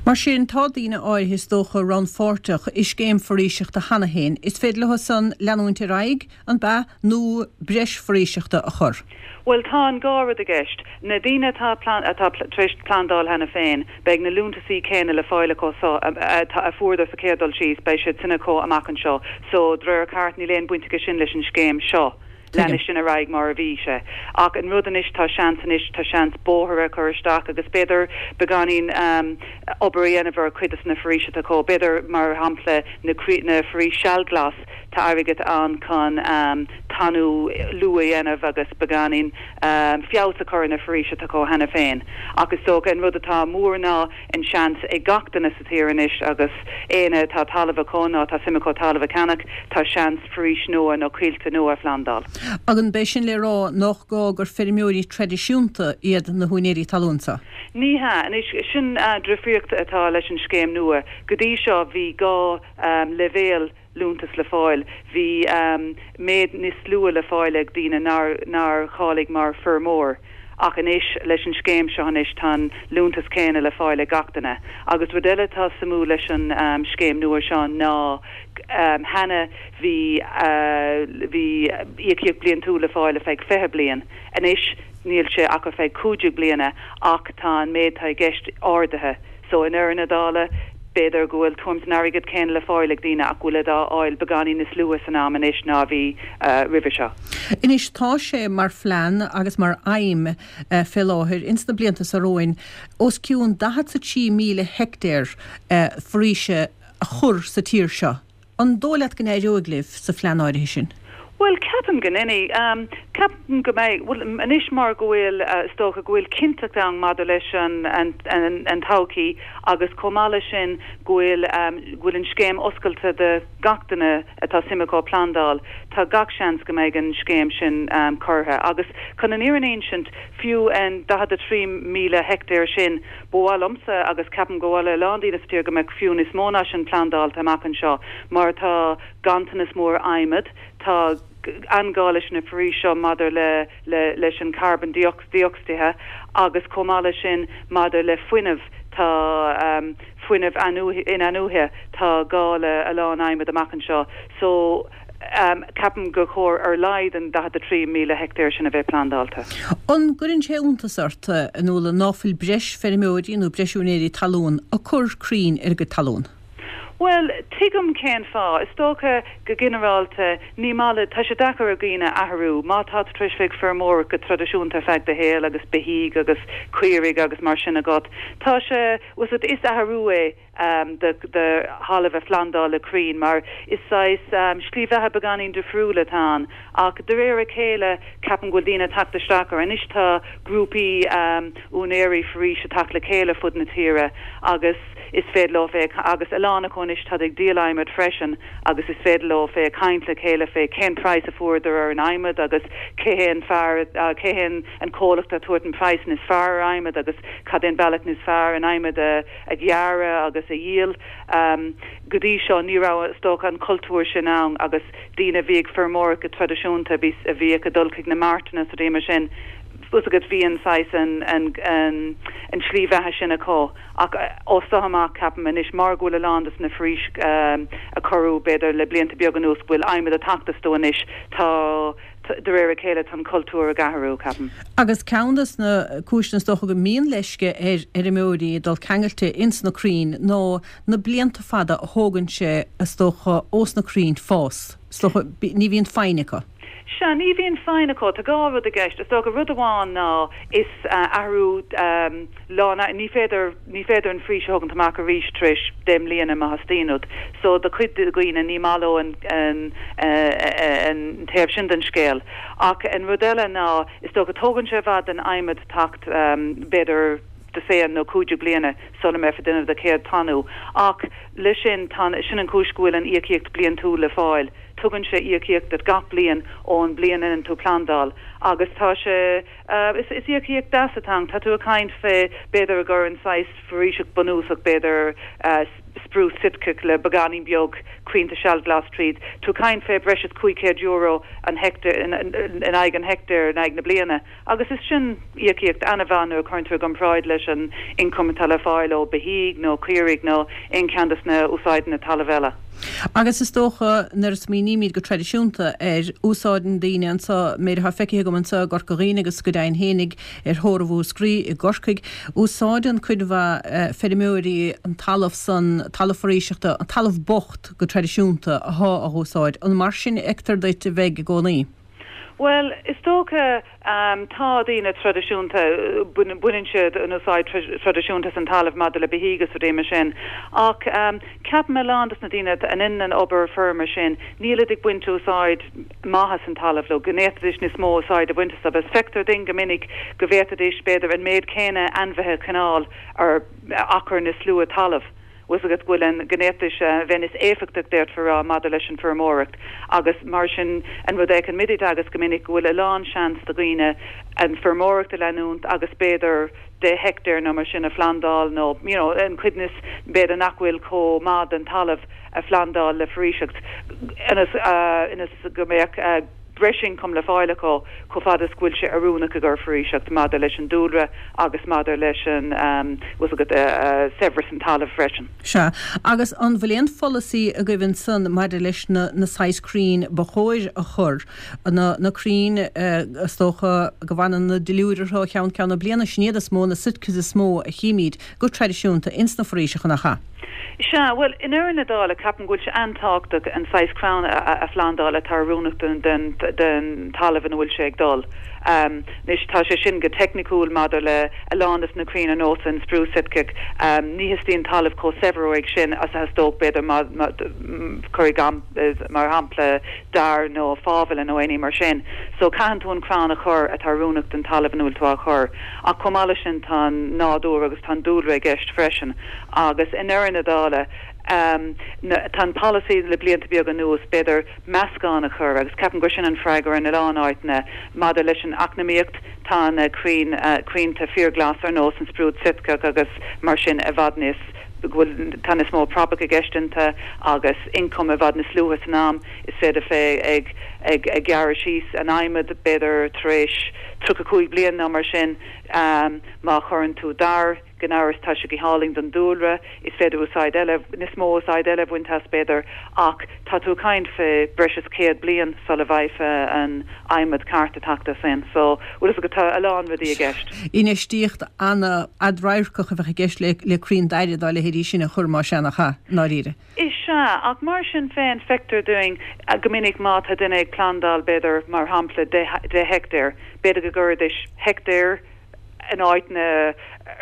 Mar sin, tá daoine áirithe is dócha rannpháirteach i scéim foraoiseachta cheana féin. Is féidir leo san leanúint ar aghaidh, an b'ea, nó breis foraoiseachta a chur? Bhuel, tá an dhá rud i gceist. Na daoine atá atá tar éis plandáil cheana féin, beidh na liúntasaí céanna le fáil acu so a fuaireadar sa chéad dul síos, beidh siad sin acu amach anseo. So, de réir cairt, níl aon baint aige sin leis an scéim seo. Leanfaidh sin ar aghaidh mar a bhí sé. Ach an rud anois, tá seans anois, tá seans bóithre a chur isteach agus b'fhéidir beagáinín obair a dhéanamh ar chuid de na foraoisí atá acu. B'fhéidir, mar shampla, na na foraois sealghlas, Tá airgead ann chun tanú luath a dhéanamh agus beagáinín feabhas a chur ar na foraois atá acu cheana féin. Ach is dócha an rud atá mór ná an seans ag gach duine sa tír anois agus éinne atá talamh acu nó atá suim acu talamh a cheannach, tá seans foraois nua nó coillte nua a phlandáil. Agus an b'é sin le rá nach gá gur feirmeoirí traidisiúnta iad na húinéirí talún seo? Ní hea. Anois, sin difríocht atá leis an scéim nua. Go dtí seo bhí dhá leibhéal liúntas le fáil. Bhí méid níos lú le fáil ag daoine nár nár cháiligh mar feirmeoir. Ach anois, leis an scéim seo anois, tá an liúntas céanna le fáil ag gach duine. Agus rud eile atá suimiúil leis an scéim nua seo ná cheana bhí bhí íocaíocht bliantúil le fáil ar feadh fiche bliain. Anois níl sé ach ar feadh cúig déag bliana ach tá an méid atá i gceist ardaithe. So i ndeireadh na dála, b'fhéidir go bhfuil tuairim is an airgead céanna le fáil ag daoine ach go bhfuil á fháil beagáinín níos luaithe san am anois ná a bhí roimhe seo. Anois tá sé mar phlean agus mar aidhm fé láthair ins na blianta seo romhainn os cionn daichead 's a trí míle heictéar foraoise a chur sa tír seo. An dóigh leat go n-éireoidh libh sa phlean áirithe sin? Bhuel, ceapaim go n-éireoidh. Ceapaim go mbeidh, bhuel, anois mar go bhfuil, is dócha go bhfuil cinnteacht ann maidir leis an, an, an todhchaí agus chomh maith leis sin go bhfuil, go bhfuil an scéim oscailte do gach duine atá suim acu plandáil, tá gach seans go mbeidh an scéim sin curtha. Agus chun an fhírinne a insint, fiú an daichead a trí míle heictéar sin, ba mhaith liomsa agus ceapaim go mhaith le a lán daoine sa tír go mbeadh fiú níos mó ná sin plandáilte amach anseo mar tá ganntanas mór adhmaid, Tá an-ghá leis na foraois seo maidir le le leis an carbon dé-ocsaíde agus chomh maith leis sin maidir le fuinneamh, tá fuinneamh in-athnuaithe, tá gá le a lán adhmaid amach anseo. So ceapaim gur chóir ar laghad an daichead a trí míle heictéar sin a bheith plandáilte. An gcuireann sé iontas ort, a Nuala, ná fuil breis feirmeoirí nó breis úinéirí talún ag cur crainn ar a gcuid talún? Bhuel, tuigim cén fáth. Is dócha, go ginearálta, ní maith le, tá sé deacair ar dhaoine athrú. Má tá tú tar éis bheith ag feirmeoireacht go traidisiúnta ar feadh do shaoil agus beithígh agus caoirigh agus mar sin agat, tá sé, bhfuil 's agat, is athrú é do do thalamh a phlandáil le crainn mar is saghas slí bheatha beagáinín difriúil atá ann. Ach de réir a chéile, ceapaim go bhfuil daoine ag teacht isteach air. Anois tá grúpaí úinéirí foraoise ag teacht le chéile fud na tíre agus, is féidir leo bheith agus a lán acu anois táid ag díol adhmaid freisin agus is féidir leo bheith ag caint le chéile fé cén praghas a fuaireadar ar an adhmad agus cé hé an fear cé hé an comhlacht atá ag tabhairt an praghas níos fearr ar adhmad agus cad é an bealach níos fearr an adhmad a a ghearradh agus a dhíol. Go dtí seo ní raibh is dócha an cultúr sin ann agus daoine a bhí ag feirmeoireacht go traidisiúnta a bhí a bhíodh ag dul chuig na martanna is rudaí mar sin bhfuil 's agat bhí an saghas an an an tslí bheatha sin acu ach ó seo amach ceapaim anois mar go bhfuil a lán des na foraois a cuireadh b'fhéidir le blianta beaga anuas go bhfuil adhmad ag teacht astu anois tá de réir a chéile tá an cultúr ag athrú ceapaim. Agus ceann des na cúiseanna is dócha go mbíonn leisce ar fheirmeoirí dul ceangailte ins na crainn ná na blianta fada a thógann sé is dócha ós na crainn fás. Is dócha ní bhíonn foighne acu. Sea, ní bhíonn foighne acu. Tá dhá rud i gceist. Is dócha rud amháin ná is athrú lán, ní féidir, ní féidir an foraois a thógaint amach arís tar éis deich mbliana má theastaíonn uait. So do chuid de dhaoine ní maith leo an, an, an taobh sin den scéal. Ach an rud eile ná is dócha tógann sé i bhfad don adhmad teacht b'fhéidir dosaen nó cúig déag bliana sula mbeifeá ag déanamh do chéad tanú. Ach leis sin, tá, sin an chúis go bhfuil an íocaíocht bliantúil le fáil. Tugann sé íocaíocht duit gach bliain ón bliain a ndéanann tú plandáil agus tá sé, is, is íocaíocht deas atá ann. Tá tú ag caint fé, b'fhéidir gur an saghas foraoiseacht bunúsach, b'fhéidir sprús Sitceach le beagáinín beag crainnte sealglas tríd, tú ag caint fé breis is cúig chéad euro an heicteár, in aghaidh an heicteáir in aghaidh na bliana. Agus is sin íocaíocht an-mhaith nuair a chuireann tú i gcomparáid leis an ioncam atá le fáil ó beithígh nó caoirigh nó aon cheann de na úsáideanna talaimh eile. Agus is dócha, nuair a smaoinímid go traidisiúnta air, úsáideann daoine anseo, méid atá feicthe agam anseo i gCorca Dhuibhne agus go deimhin fhéinig ar thórramh Mhúscraí i gCorcaigh, úsáideann cuid mhaith feirmeoirí an talamh san, talamh foraoiseachta, an talamh bocht go traidisiúnta athá á úsáid. An mar sin a fheictear duit a bheidh i gcónaí? Bhuel, is dócha, tá daoine traidisiúnta, baineann siad an úsáid traidisiúnta as an talamh maidir le beithígh is rudaí mar sin, ach ceapaim a lán dos na daoine a ndeineann an obair feirme sin, nílid ag baint úsáid maith as an talamh leo, go bhféadfaidís níos mó úsáid a bhaint as agus feictear duinn go minic go bhféadfaidís b'fhéidir an méid céanna ainmhithe a choinneáil ar achar níos lú talaimh. bhfuil 's agat go bhfuil an, go bhféadfaidís a bheith níos éifeachtaí d'fhéadfá a rá maidir leis an feirmeoireacht agus mar sin an rud a fheiceann muid i dTeagasc go minic go bhfuil a lán seans do dhaoine an feirmeoireacht a leanúint agus b'fhéidir deich heictéar nó mar sin a phlandáil nó you know an chuid níos b'fhéidir nach bhfuil chomh maith den talamh a phlandáil le foraoiseacht ionas ionas go mbeadh breis ioncaim le fáil acu chomh fada is go bhfuil sé oiriúnach i gcomhair foraoiseacht maidir leis an dúlra agus maidir leis an, bhfuil 's agat, saibhreas an talaimh freisin. Sea. Agus an bhfuil aon pholasaí agaibh ansan maidir leis na na saghas crainn ba chóir a chur, na na crainn is dócha go bhfanann na duilliúir orthu ó cheann ceann na bliana, sin iad is mó, na Sitkas is mó a chímíd go traidisiúnta ins na foraoiseacha, nach ea? Sea, bhuel, i ndeireadh na dála, ceapaim go bhfuil sé an-tábhachtach an saghas crann a phlandáil atá oiriúnach don talamh ina bhfuil sé ag dul. Anois, tá sé sin go teicniciúil maidir le a lán de na crainn ar nós an sprús Sitceach, ní theastaíonn talamh chomh saibhir uaidh sin is a theastódh, b'fhéidir, cuir mar shampla, dair nó fábhile nó aon ní mar sin. So, caitheann tú an crann a chur atá oiriúnach don talamh ina bhfuil tú á chur. Ach chomh maith leis sin, tá an nádúr agus tá an dúlra i gceist freisin. Agus i ndeireadh na dála, tá an polasaí le blianta beaga anuas, b'fhéidir, meascán a chur, agus ceapaim gur sin an freagra in a lán áiteanna. Maidir leis an eacnamaíocht, tá na crainn, crainnte fíorghlas ar nós an sprúd Sitceach agus mar sin i bhfad níos, go bhfuil, tá níos mó praipeach i gceist iontu agus ioncam i bhfad níos luaithe san am. Is féidir bheith ag, ag, ag gearradh síos an adhmad b'fhéidir tar éis tríocha cúig bliain nó mar sin, má chuireann tú dair, Gan amhras tá sé go hálainn don dúlra, is féidir úsáid eile, níos mó úsáid eile a bhaint as b'fhéidir, ach tá tú ag caint fé breis is céad bliain sula bhfaighfeá an adhmad ceart ag teacht as sin. So, bhfuil fhios agat, tá a lán rudaí i gceist. Infheistíocht an-fhadradharcach a bheadh i gceist le le crainn daire dá leithéidí sin a chur, más ea, nach ea, i ndáiríre? Is ea, ach mar sin féin, feictear dúinn go minic má tá duine ag plandáil b'fhéidir, mar shampla, deich heictéar, b'fhéidir go gcuirfidís heictéar, in áiteanna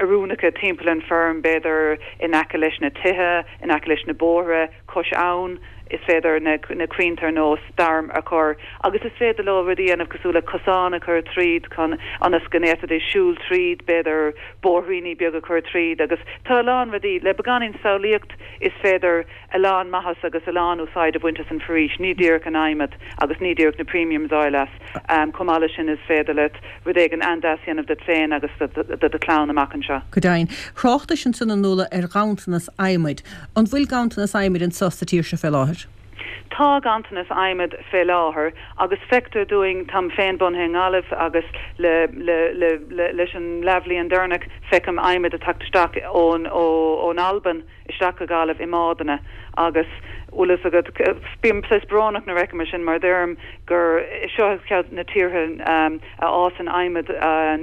oiriúnacha timpeall an feirm, b'fhéidir in aice leis na tithe, in aice leis na bóithre, cois abhann, is féidir na na crainnte ar nós dair a chur agus is féidir leo rudaí a dhéanamh cosúil le cosán a chur tríd chun ionas go bhféadfaidís siúl tríd, b'fhéidir bóithríní beaga a chur tríd agus tá a lán rudaí, le beagáinín samhlaíocht is féidir a lán maitheas agus a lán úsáid a bhaint as an foraois, ní díreach an adhmad agus ní díreach na premiums a fháil as. Chomh maith leis sin is féidir leat rud éigin an-deas a dhéanamh duit féin agus do do chlann amach anseo. Go deimhin. Thráchtais ansan a Nuala ar ghanntanas adhmaid. An bhfuil ganntanas adhmaid anso sa tír seo fé láthair? Tá ganntanas adhmaid fé láthair agus feictear dúinn, táim féin bunaithe i nGaillimh agus le le le le leis an leathbhliain deireanach feicim adhmad ag teacht isteach ón ó ón Albain, isteach go Gaillimh i mbádanna agus bhfuil fhios agat, bím saghas brónach nuair a fheicim é sin mar deirim gur seo ceann de na tíortha a fhásann adhmad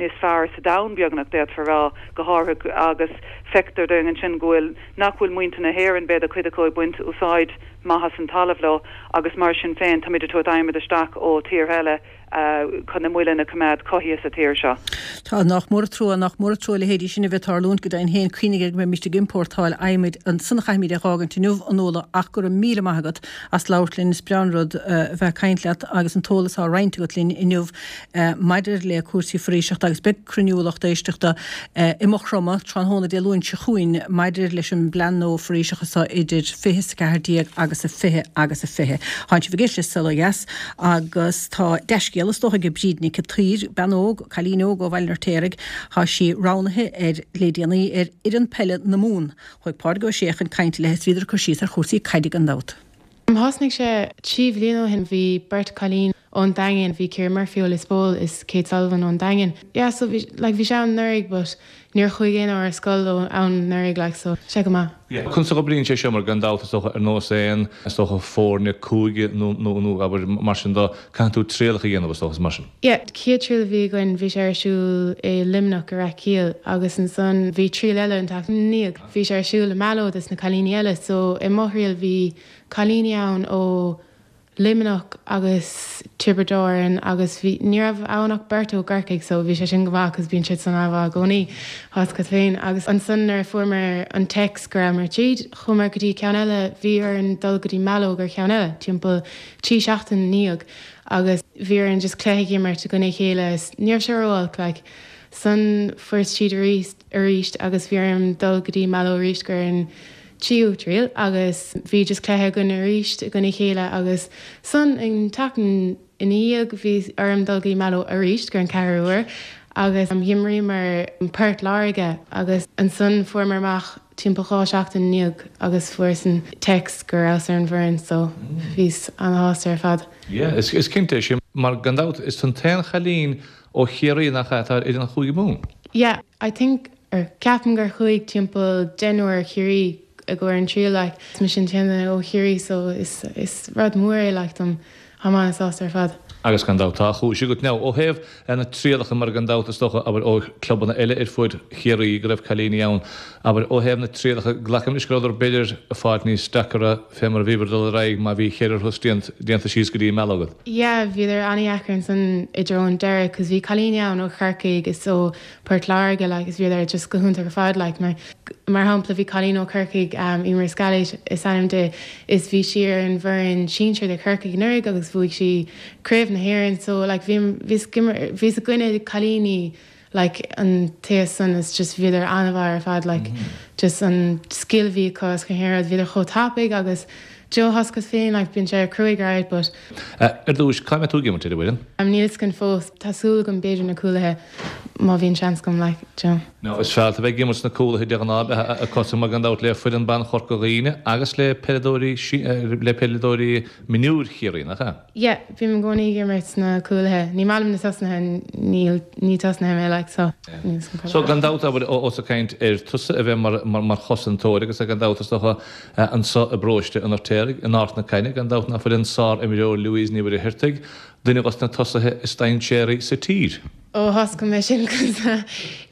níos fearr sa domhan beagnach, d'fhéadfá a rá, go háirithe agus feictear dúinn ansin go bhfuil, nach bhfuil muintir na hÉireann, b'fhéidir cuid acu ag baint úsáid maith as an talamh leo agus mar sin féin táimid ag tabhairt adhmad isteach ó tíortha eile. chun na muilinn a choimeád cothaithe sa tír seo. Tá, nach mór an trua, nach mór an trua a leithéidí sin a bheith ag tarlúint, go deimhin féin, cuimhnigh air go mbeimíst ag iompórtáil adhmaid ansan a chaithfimíd é dh'fhágaint inniu, a Nuala, ach go raibh míle maith agat as labhairt linn, is breá an rud a bheith ag caint leat agus an t-eolas á roinnt agat linn inniu maidir le cúrsaí foraoiseachta agus beidh cruinniú lucht éisteachta i Maigh Chromtha tráthnóna Dé Luain seo chugainn maidir leis an bplean nua foraoiseachta seo idir fiche is a ceathair déag agus a fiche agus a fiche. Tánn sibh ag éisteacht le Saol Ó Dheas agus tá dea-scéala is dócha ag Bríd Nic an tSaoir, bean óg, cailín óg ó Bhaile an Fheirtéaraigh, tá sí roghnaithe ar, le déanaí, ar fhoireann peile na Mumhan. Chuaigh Pádraig Ó Sé chun cainte léi is bhíodar ag cur síos ar chúrsaí caide gan dabht. Thosnaigh sé trí bhliain ó shin, bhí beirt cailín ón Daingean, bhí Ciara Murphy ó Lios Póil is Kate Sullivan ón Daingean. Yeah so bhí, like bhí sé ann anuraidh but níor chuaigh aon ar scoil ann anuraidh like so sé go maith. Yeah. Conas a oibríonn sé seo mar gan dabht is dócha ar nós aon is dócha foirne cúige nó nó nó abair mar sin de caithfidh tú trialacha a dhéanamh is dócha is mar sin. Yeah, chéad triail a bhí againn bhí sé ar siúl i Luimneach i Rath Caoil agus ansan bhí triail eile an tseachtain ina ndiaidh. Bhí sé ar siúl i Mallow dos na cailíní eile so i mo thriail bhí cailíní ann ó Luimneach agus Tiobraid Árann agus bhí ní raibh ann ach beirt ó gCorcaigh so bhí sé sin go maith cos bíonn siad san an-mhaith i gcónaí tá a fhios agat féin agus ansan nuair a fuaireamar an text go rabhamar tríd chuamar go dtí ceann eile bhí orainn dul go dtí Mallow ar cheann eile timpeall trí seachtain ina dhiaidh agus bhí orainn just cluiche a imirt i gcoinne a chéile is ní raibh sé ró-olc like san fuaireas tríd arís arís agus bhí orm dul go dtí Mallow arís gur an tríú triail agus bhí just cluiche againn arís i gcoinne a chéile agus san an tseachtain ina dhiaidh bhí orm dul go dtí Mallow arís gur an ceathrú uair agus d'imríomar Port Láirge agus ansan fuaireamar amach timpeall dhá seachtain ina dhiaidh agus fuaireas an text go rabhas ar an bhfoireann so bhíos ana-shásta ar fad. Yeah, is is cinnte é sin mar gan dabht is tú an t-aon chailín ó Chiarraí nach ea atá ar fhoireann Chúige Mumhan. Yeah, I think or ceapaim gur chuaigh timpeall deichniúr Chiarraí i gcomhair an triail like is mise an t-aon duine ó Chiarraí so is is rud mór é like dom táim an-sásta ar fad. Agus gan dabht tá chúis agat now ó thaobh na trialacha mar gan dabht is dócha abair ó clubanna eile ar fud Chiarraí go raibh cailíní ann abair ó thaobh na trialacha glacaim leis go rabhadar b'fhéidir ag fáil níos deacra fé mar a bhíobhair ag dul ar aghaidh má bhí cheithre thuras déanta síos go dtí Mallow agat. Yeah bhíodar an-dheacair ansan i dtreo an deireadh cos bhí cailíní ann ó Chorcaigh is ó Port Láirge like is bhíodar just go hiontach ar fad like mar mar shampla bhí cailín ó Chorcaigh um, Eimear Scally is ainm di is bhí sí ar an bhfoireann sinsir de Chorcaigh anuraidh agus bhuaigh sí craobh na hÉireann so like bhí bhíos bhíos i gcoinne cailíní like an taobh san is just bhíodar an-mhaith ar fad like mm -hmm. just an skill bhí acu is gach aon rud bhíodar chomh tapaidh agus Joe tá a fhios agat féin like bíonn sé cruaidh right but Ar dtús, cá mbeidh tú ag imirt ar an bhfoireann? Níl a fhios agam fós. Tá súil agam b'fhéidir na cúlaithe má bhíonn seans agam like Joe. Now is fearr a bheith ag imirt sna cúlaithe de ghnáth a cosúil mar gan dabht le foireann ban Chorca Dhuibhne agus le peileadóirí le peileadóirí mionúir Chiarraí, nach ea? Yeah, bím i gcónaí ag imirt sna cúlaithe. Ní maith liom na tosnaithe, níl ní tosnaithe mé like so níl a fhios agam. So gan dabht abair ós ag caint ar tusa a bheith mar mar mar chosantóir agus gan dabht is dócha Anso i bparóiste an Fheirtéaraigh, in Ard na Caithne, gan dabht ná fuil an sár-imreoir Louise Ní Mhuircheartaigh, duine dos na tosaithe is dainséaraí sa tír. Ó tá a fhios agam é sin 'cause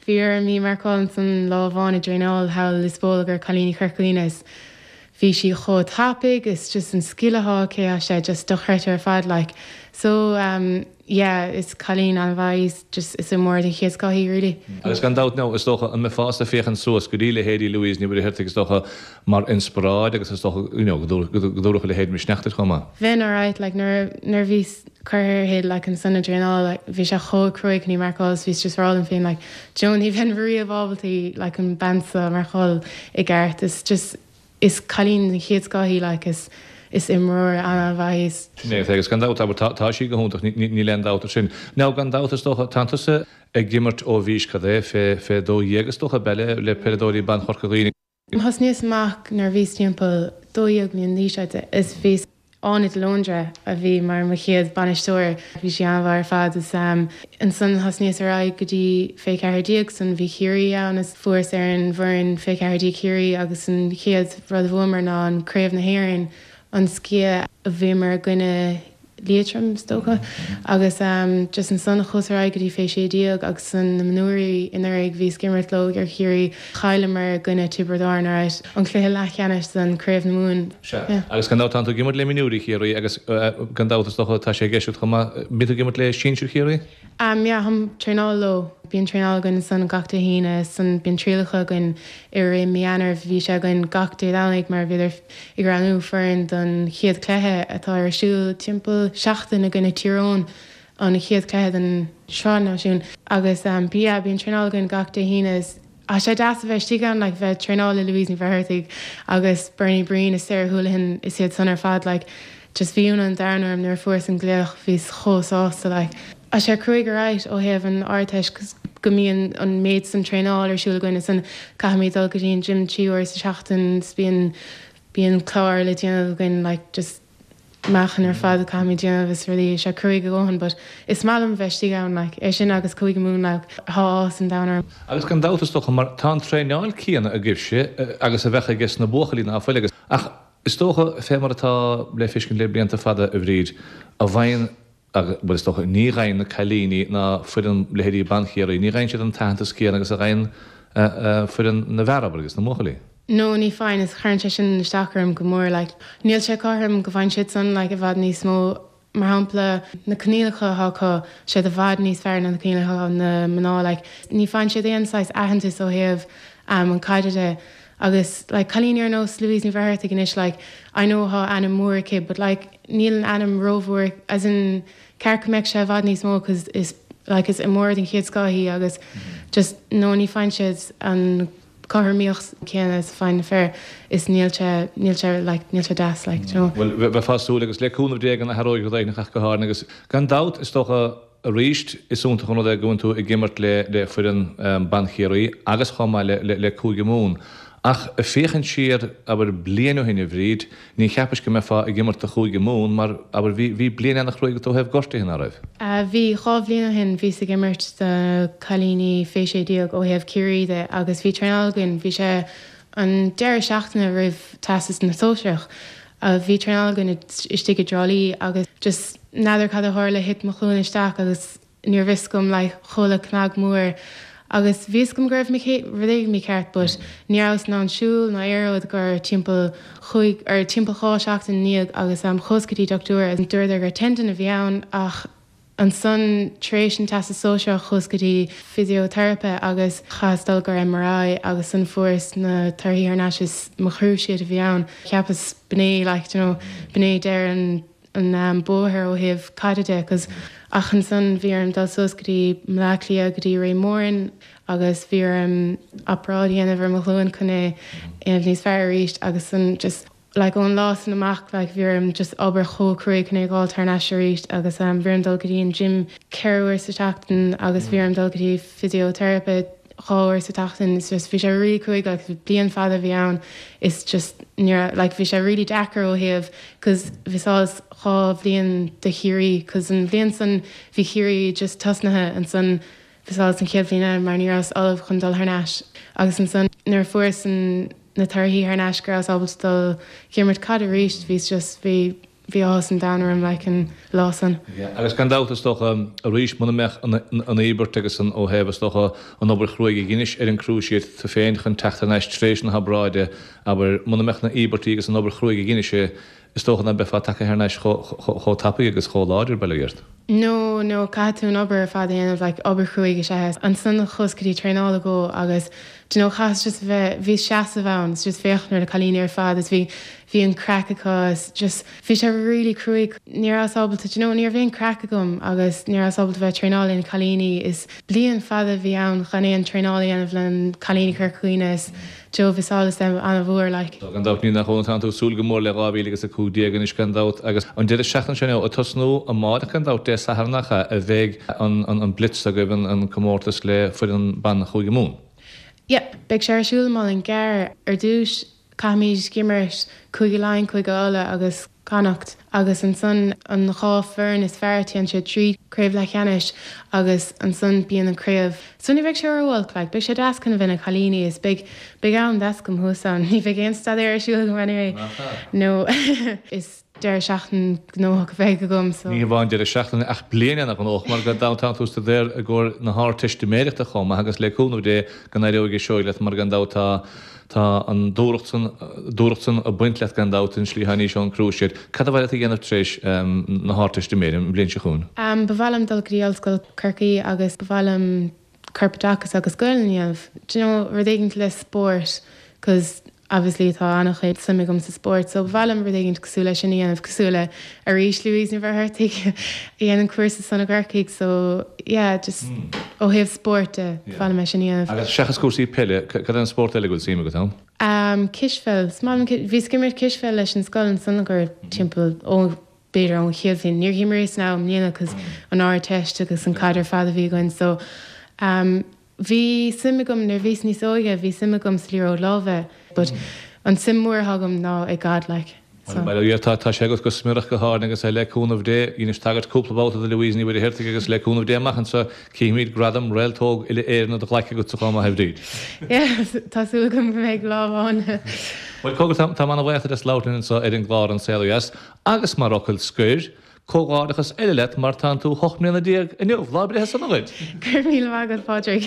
bhí orm í marcáil ansan lá amháin i dtraenáil thall i Lios Póil i gcomhair cailíní Chorca Dhuibhne is bhí sí chomh tapaidh is just an scil atá aici tá sé just dochreidte ar fad like so um yeah is cailín an-mhaith í is just is imreoir den chéad scoth í really. Agus gan dabht now is dócha an mbeifeása ag féachaint suas go dtí leithéidí Louise Ní Mhuircheartaigh is dócha mar inspioráid agus is dócha you know go dtabharfadh a leithéid misneach duit chomh maith. Bheinn alright like nuair nuair a bhíos curtha uirthi like ansan i dtraenáil like bhí sé chomh cruaidh chun í marcáil is bhíos just ag rá liom féin like Joe ní bheinn riamh ábalta í like an bean seo a mharcáil i gceart is just Is cailín den chéad scoth í like is is imreoir an-mhaith í. Sin é, agus gan dabht, abair, tá sí go hiontach, níl aon dabht ar sin. Now gan dabht is dócha, tánn tusa ag imirt ó bhís cad é, fé, fé dó dhéag is dócha, ab ea, le, le peileadóirí ban Chorca Dhuibhne. Thosnaíos amach nuair a bhíos timpeall dó dhéag mbliana d'aois, I'd say, is bhíos Áine de Lóndra a bhí mar mo chéad bainisteoir. Bhí sí an-mhaith ar fad is ansan thosnaíos ar aghaidh go dtí fé ceathair déag san bhí Ciarraí ann is fuaireas ar an bhfoireann fé ceathair déag Chiarraí agus an chéad rud a bhuamar ná an Craobh na hÉireann an sciath a bhíomar i gcoinne Liatroim is dócha agus just ansan chuas ar aghaidh go dtí fé sé déag agus san na mionúirí anuraidh bhíos ag imirt leo ar Chiarraí chailleamar i gcoinne Tiobraid Árann alright an cluiche leathcheannais don Craobh na Mumhan. Sea. Agus gan dabht tánn tú ag imirt le mionúirí Chiarraí agus gan dabht is dócha tá sé i gceist agat chomh maith, bíonn tú ag imirt le sinsir Chiarraí? Um yeah táim ag traenáil leo. Bíonn traenáil againn ansan gach Dé hAoine san bíonn trialacha againn i rith mí Eanáir bhí sé againn gach Dé Domhnaigh mar bhíodar ag roghnú foireann don chéad cluiche atá ar siúl timpeall seachtain i gcoinne Tír Eoghain an chéad cluiche den Sraith Náisiún agus yeah bíonn traenáil againn gach Dé hAoine is tá sé deas a bheith istigh ann like bheith ag traenáil le Louise Ní Mhuircheartaigh agus Bernie Breen is Sarah Houlihan is iad san ar fad like just bhí ionadh an domhain orm nuair a fuaireas an glaoch bhíos chomh sásta like Tá sé cruaidh alright ó thaobh an Ardteist cos go mbíonn an méid san traenáil ar siúl againn is an caithfimid dul go dtí an gym trí uair sa tseachtain is bíonn bíonn clár le déanamh againn like just meáchan ar fad a caithfimid déanamh is rudaí tá sé cruaidh a dhóthain but is maith liom bheith istigh ann like é sin agus Cúige Mumhan like tá áthas an domhain orm. Agus gan dabht is dócha mar tá an traenáil céanna agaibhse agus a bheadh aige na buachaillí ná fuil agus ach is dócha fé mar atá le feiscint le blianta fada a Bhríd a bhfaigheann agus bhuel is dócha ní fhaigheann na cailíní ná foireann leithéidí ban Chiarraí ní fhaigheann siad an t-aitheantas céanna agus a fhaigheann foireann na bhfear abair agus na mbuachaillí. No ní fhaigheann is cuireann sé sin isteach orm go mór like níl sé cothrom go bhfaigheann siad san like i bhfad níos mó mar shampla na coinníollacha atá acu siad i bhfad níos fearr ná na coinníollacha na mná like ní fhaigheann siad aon saghas aitheantas ó thaobh um, an caide de agus like cailíní ar nós Louise Ní Mhuircheartaigh anois like I know tá ainm mór aici but like níl an ainm rómhór as in ceart go mbeadh sé i bhfad níos mó cause is like is imreoir den chéad scoth í agus just no ní fhaigheann siad an cothromaíocht céanna is a fhaigheann na fir is níl sé níl sé like níl sé deas like you know. Bhuel bheifeá ag súil agus le cúnamh Dé go n-athróidh rud éigin ach go háirithe agus gan dabht is dócha arís is iontach an rud é go bhfuil tú ag imirt le le foireann ban Chiarraí agus chomh maith le le le Cúige Mumhan. Ach ag féachaint siar, abair, bliain ó shin, a Bhríd, ní cheapais go mbeifeá ag imirt do Chúige Mumhan mar, abair, bhí, bhí bliain ana-chruaidh agat ó thaobh gortaithe, ná raibh? Bhí, dhá bhliain ó shin bhíos ag imirt do cailíní fé sé déag ó thaobh Ciarraí de agus bhí traenáil againn, bhí sé an deireadh seachtaine roimh Teastas na Sóisearach, bhí traenáil againn istigh i dTrá Lí agus just n'fheadar cad a tharla, thit mo chluain isteach agus níorbh fhios dom like chuala cnag mór Agus bhí fhios agam go raibh rud éigin mícheart but ní rabhas in ann siúl ná aon rud go timpeall chúig or timpeall dhá seachtain ina dhiaidh agus chuas go dtí dochtúir agus dúradar gur tendon a bhí ann ach ansan tar éis an Teastas Sóisearach chuas go dtí physiotherapy agus chaitheas dul go MRI agus ansan fuaireas na torthaí thar n-ais is mo chruciate a bhí ann. Cheapas b'in é like you know b'in é deireadh an an bóthar ó thaobh caide de cos ach ansan bhí orm dul suas go dtí Bleá Cliath go dtí Ray Moran agus bhí orm obráid a dhéanamh ar mo chluain chun é dhéanamh níos fearr arís agus san just like ón lá san amach like bhí orm just obair chomh cruaidh chun é dh'fháilt thar n-ais arís agus um bhí orm dul go dtí an gym ceithre uair sa tseachtain agus bhí orm dul go dtí physiotherapy dhá uair sa tseachtain is just bhí sé really cruaidh like bliain fada a bhí ann is just ní raibh like bhí sé really deacair ó thaobh cause mhisseálas dhá bhliain de Chiarraí cause an bhliain san bhí Ciarraí just tosnaithe ansan mhisseálas an chéad bhliain eile mar ní rabhas ullamh chun dul thar n-ais agus ansan nuair a fuaireas an na torthaí thar n-ais go rabhas ábalta dul ag imirt caid arís bhíos just bhí Bhí áthas an domhain orm like an lá san. Agus gan dabht is dócha arís muna mbeadh an íobairt agus an ó thaobh is dócha an obair chruaidh a dheinis ar an cruciate tú féin chun teacht thar n-ais tar éis na hobráide abair muna mbeadh na íobairtí agus an obair chruaidh a dheinis is dócha ná beifeá tagtha thar n-ais chomh tapaidh agus chomh láidir bail ó Dhia ort. No, no, caithfidh tú an obair ar fad a dhéanamh, like obair chruaidh is ea é. Ansan chuas go dtí traenáil acu agus do you know chaitheas just a bheith, bhíos seasamh ann is just féachaint ar na cailíní ar fad is bhí, bhí an craic acu is just bhí sé really cruaidh. Ní rabhas ábalta, do you know, ní raibh aon craic agam agus ní rabhas ábalta bheith ag traenáil le na cailíní is bliain fada a bhí ann gan aon traenáil a dhéanamh le cailíní Chorca Dhuibhne is do you know mhisseálas them an-mhór like. Gan dabht ní nach ionadh tánn tú ag súil go mór le dhá mhíle agus a cúig déag anois gan dabht agus an deireadh seachtaine seo ag tosnú amárach gan dabht Dé Sathairn nach ea a bheidh an Blitz agaibh an comórtas le foireann ban Chúige Mumhan. Yeah, beidh sé ar siúl i Málainn Ghearr ar dtús. Caithfimid imirt Cúige Laighean, Cúige Uladh agus Connacht agus ansan an dhá foireann is fearr téann siad trí craobh leathcheannais agus ansan bíonn an craobh. So ní bheidh sé ró-olc like beidh sé deas chun a bheith na cailíní is beidh beidh am deas agam thuas ann ní bheidh aon staidéar ar siúl agam anyway Nach ea? No is deireadh seachtaine gnóthach a bheidh agam so. Ní hamháin deireadh seachtaine ach bliain ana-ghnóthach mar gan dabht tánn tú ag staidéar i gcomhair na hArdteistiméireachta chomh maith agus le cúnamh Dé go n-éireoidh seoigh leat mar gan dabht tá Tá an dúthracht san, dúthracht san ag baint leat gan dabht an slí atá anois ón cruciate. Cad a ba mhaith leat a dhéanamh tar éis na hArdteistiméire an bhliain seo chugainn? Ba mhaith liom dul go dtí Ollscoil Chorcaí agus ba mhaith liom corpoideachas agus Gaelainn a dhéanamh. Do you know, rud éigint le spórt cause obviously tá an-chuid suim agam sa spórt so ba mhaith liom rud éigint cosúil leis sin a dhéanamh cosúil le arís Louise Ní Mhuircheartaigh a dhéanann cúrsa san i gCorcaigh so yeah just ó thaobh spóirt de ba mhaith liom é sin a dhéanamh. Agus seachas cúrsaí peile, cad é an spórt eile go bhfuil suim agat ann? Um cispheil, is maith liom bhíos ag imirt cispheil leis an scoil ansan gur timpeall ó b'fhéidir ón chéad bhliain, níor dh'imríos now i mbliana cos an Ardteist agus an caid ar fad a bhí againn so um Bhí suim agam nuair bhíos níos óige, bhí suim agam sa liathróid láimhe but an suim mór atá agam ná i gcaid like so. Bhuel yeah tá tá sé agat go smiorach go háirithe agus le cúnamh Dé, dheinis tagairt cúpla babhta do Louise Ní Mhuircheartaigh agus le cúnamh Dé amach anseo cífimid gradam Réalt Óg Uile-Éireann á ghlacadh agatsa chomh maith a Bhríd. Yeah tá súil agam go mbeidh lámh ann. Bhuel cogar tá táim ana-bhuíoch duit as labhairt linn anseo ar an gclár An Saol Ó Dheas agus mar fhocal scoir, Comhghairdeachas eile leat mar tánn tú hocht mbliana déag inniu, lá breithe sona dhuit! Go raibh míle maith agat Pádraig.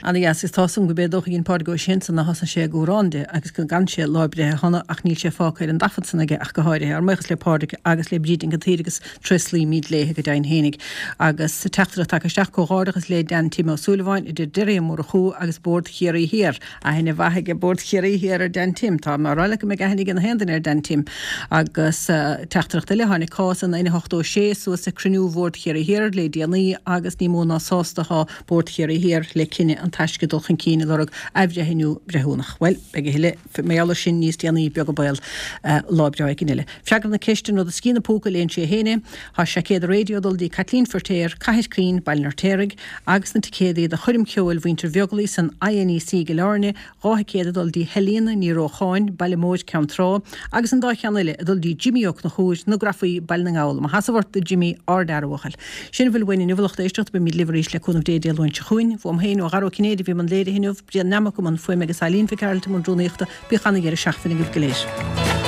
Ana dheas, is tá 'fhios a'm go b'é dócha a dhein Pádraig Ó Sé ansan ná thosnaigh sé ag amhrán di agus go gcan sé Lá Breithe Shona ach níl sé fágtha ar an dtaifead san aige ach go háirithe. Ár mbuíochas le Pádraig agus le Bríd Nic an tSaoir agus tréaslaímid léithe go deimhin fhéinig. Agus teachtaireacht tagtha isteach, Comhghairdeachas le Dan Tim Ó Súilleabháin, a deir Derry Ó Murchú agus Bord Chiarraí Thiar. Aithne mhaith aige Bord Chiarraí Thiar ar Dan Tim. Tá mé á rá leat go mbeidh aithne ag na haon duine ar Dan Tim. Agus teachtaireacht eile, tháinig cás an N ochtó a sé suas ag cruinniú Bhord Chiarraí Thiar le déanaí agus ní mó ná sásta atá Bord Chiarraí Thiar le cinneadh An Taisce dul chun cinn ag lorg athbhreithniú breithiúnach. Bhuel, beidh a thuilleadh mar gheall air sin níos déanaí, beag an baol. Lá breá éigin eile. Freagra na ceiste, an rud a scian an púca, léann sé féin é. Tá seaicéad raidió ag dul dtí Caitlín Firtéar, Cathair Caoin, Baile an Fheirtéaraigh, agus na ticéadaí do choirm cheoil Mhuintir Bheaglaoich san INEC i gCill Airne, dhá thicéad ag dul dtí Helena Ní Rócháin, Baile Móir, Ceann Trá, agus an dá cheann eile ag dul dtí Jimí Ó Conchúir, Na Grafaí, Baile na nGall. Mo sheasamh ort, a Jimí, ardfhear, a bhuachaill. Sin a bhfuil uainn inniu, a lucht éisteachta, beimid libh arís le cúnamh Dé Dé Luain seo chugainn. Uaim féin, ó Dhara Ó Cinnéide a bhí i mbun léirithe inniu, Brian Nammock i mbun fuaime agus Eileen Mhic Gearailt i mbun rúnaíochta. Bíodh ana-dheireadh seachtaine agaibh go léir.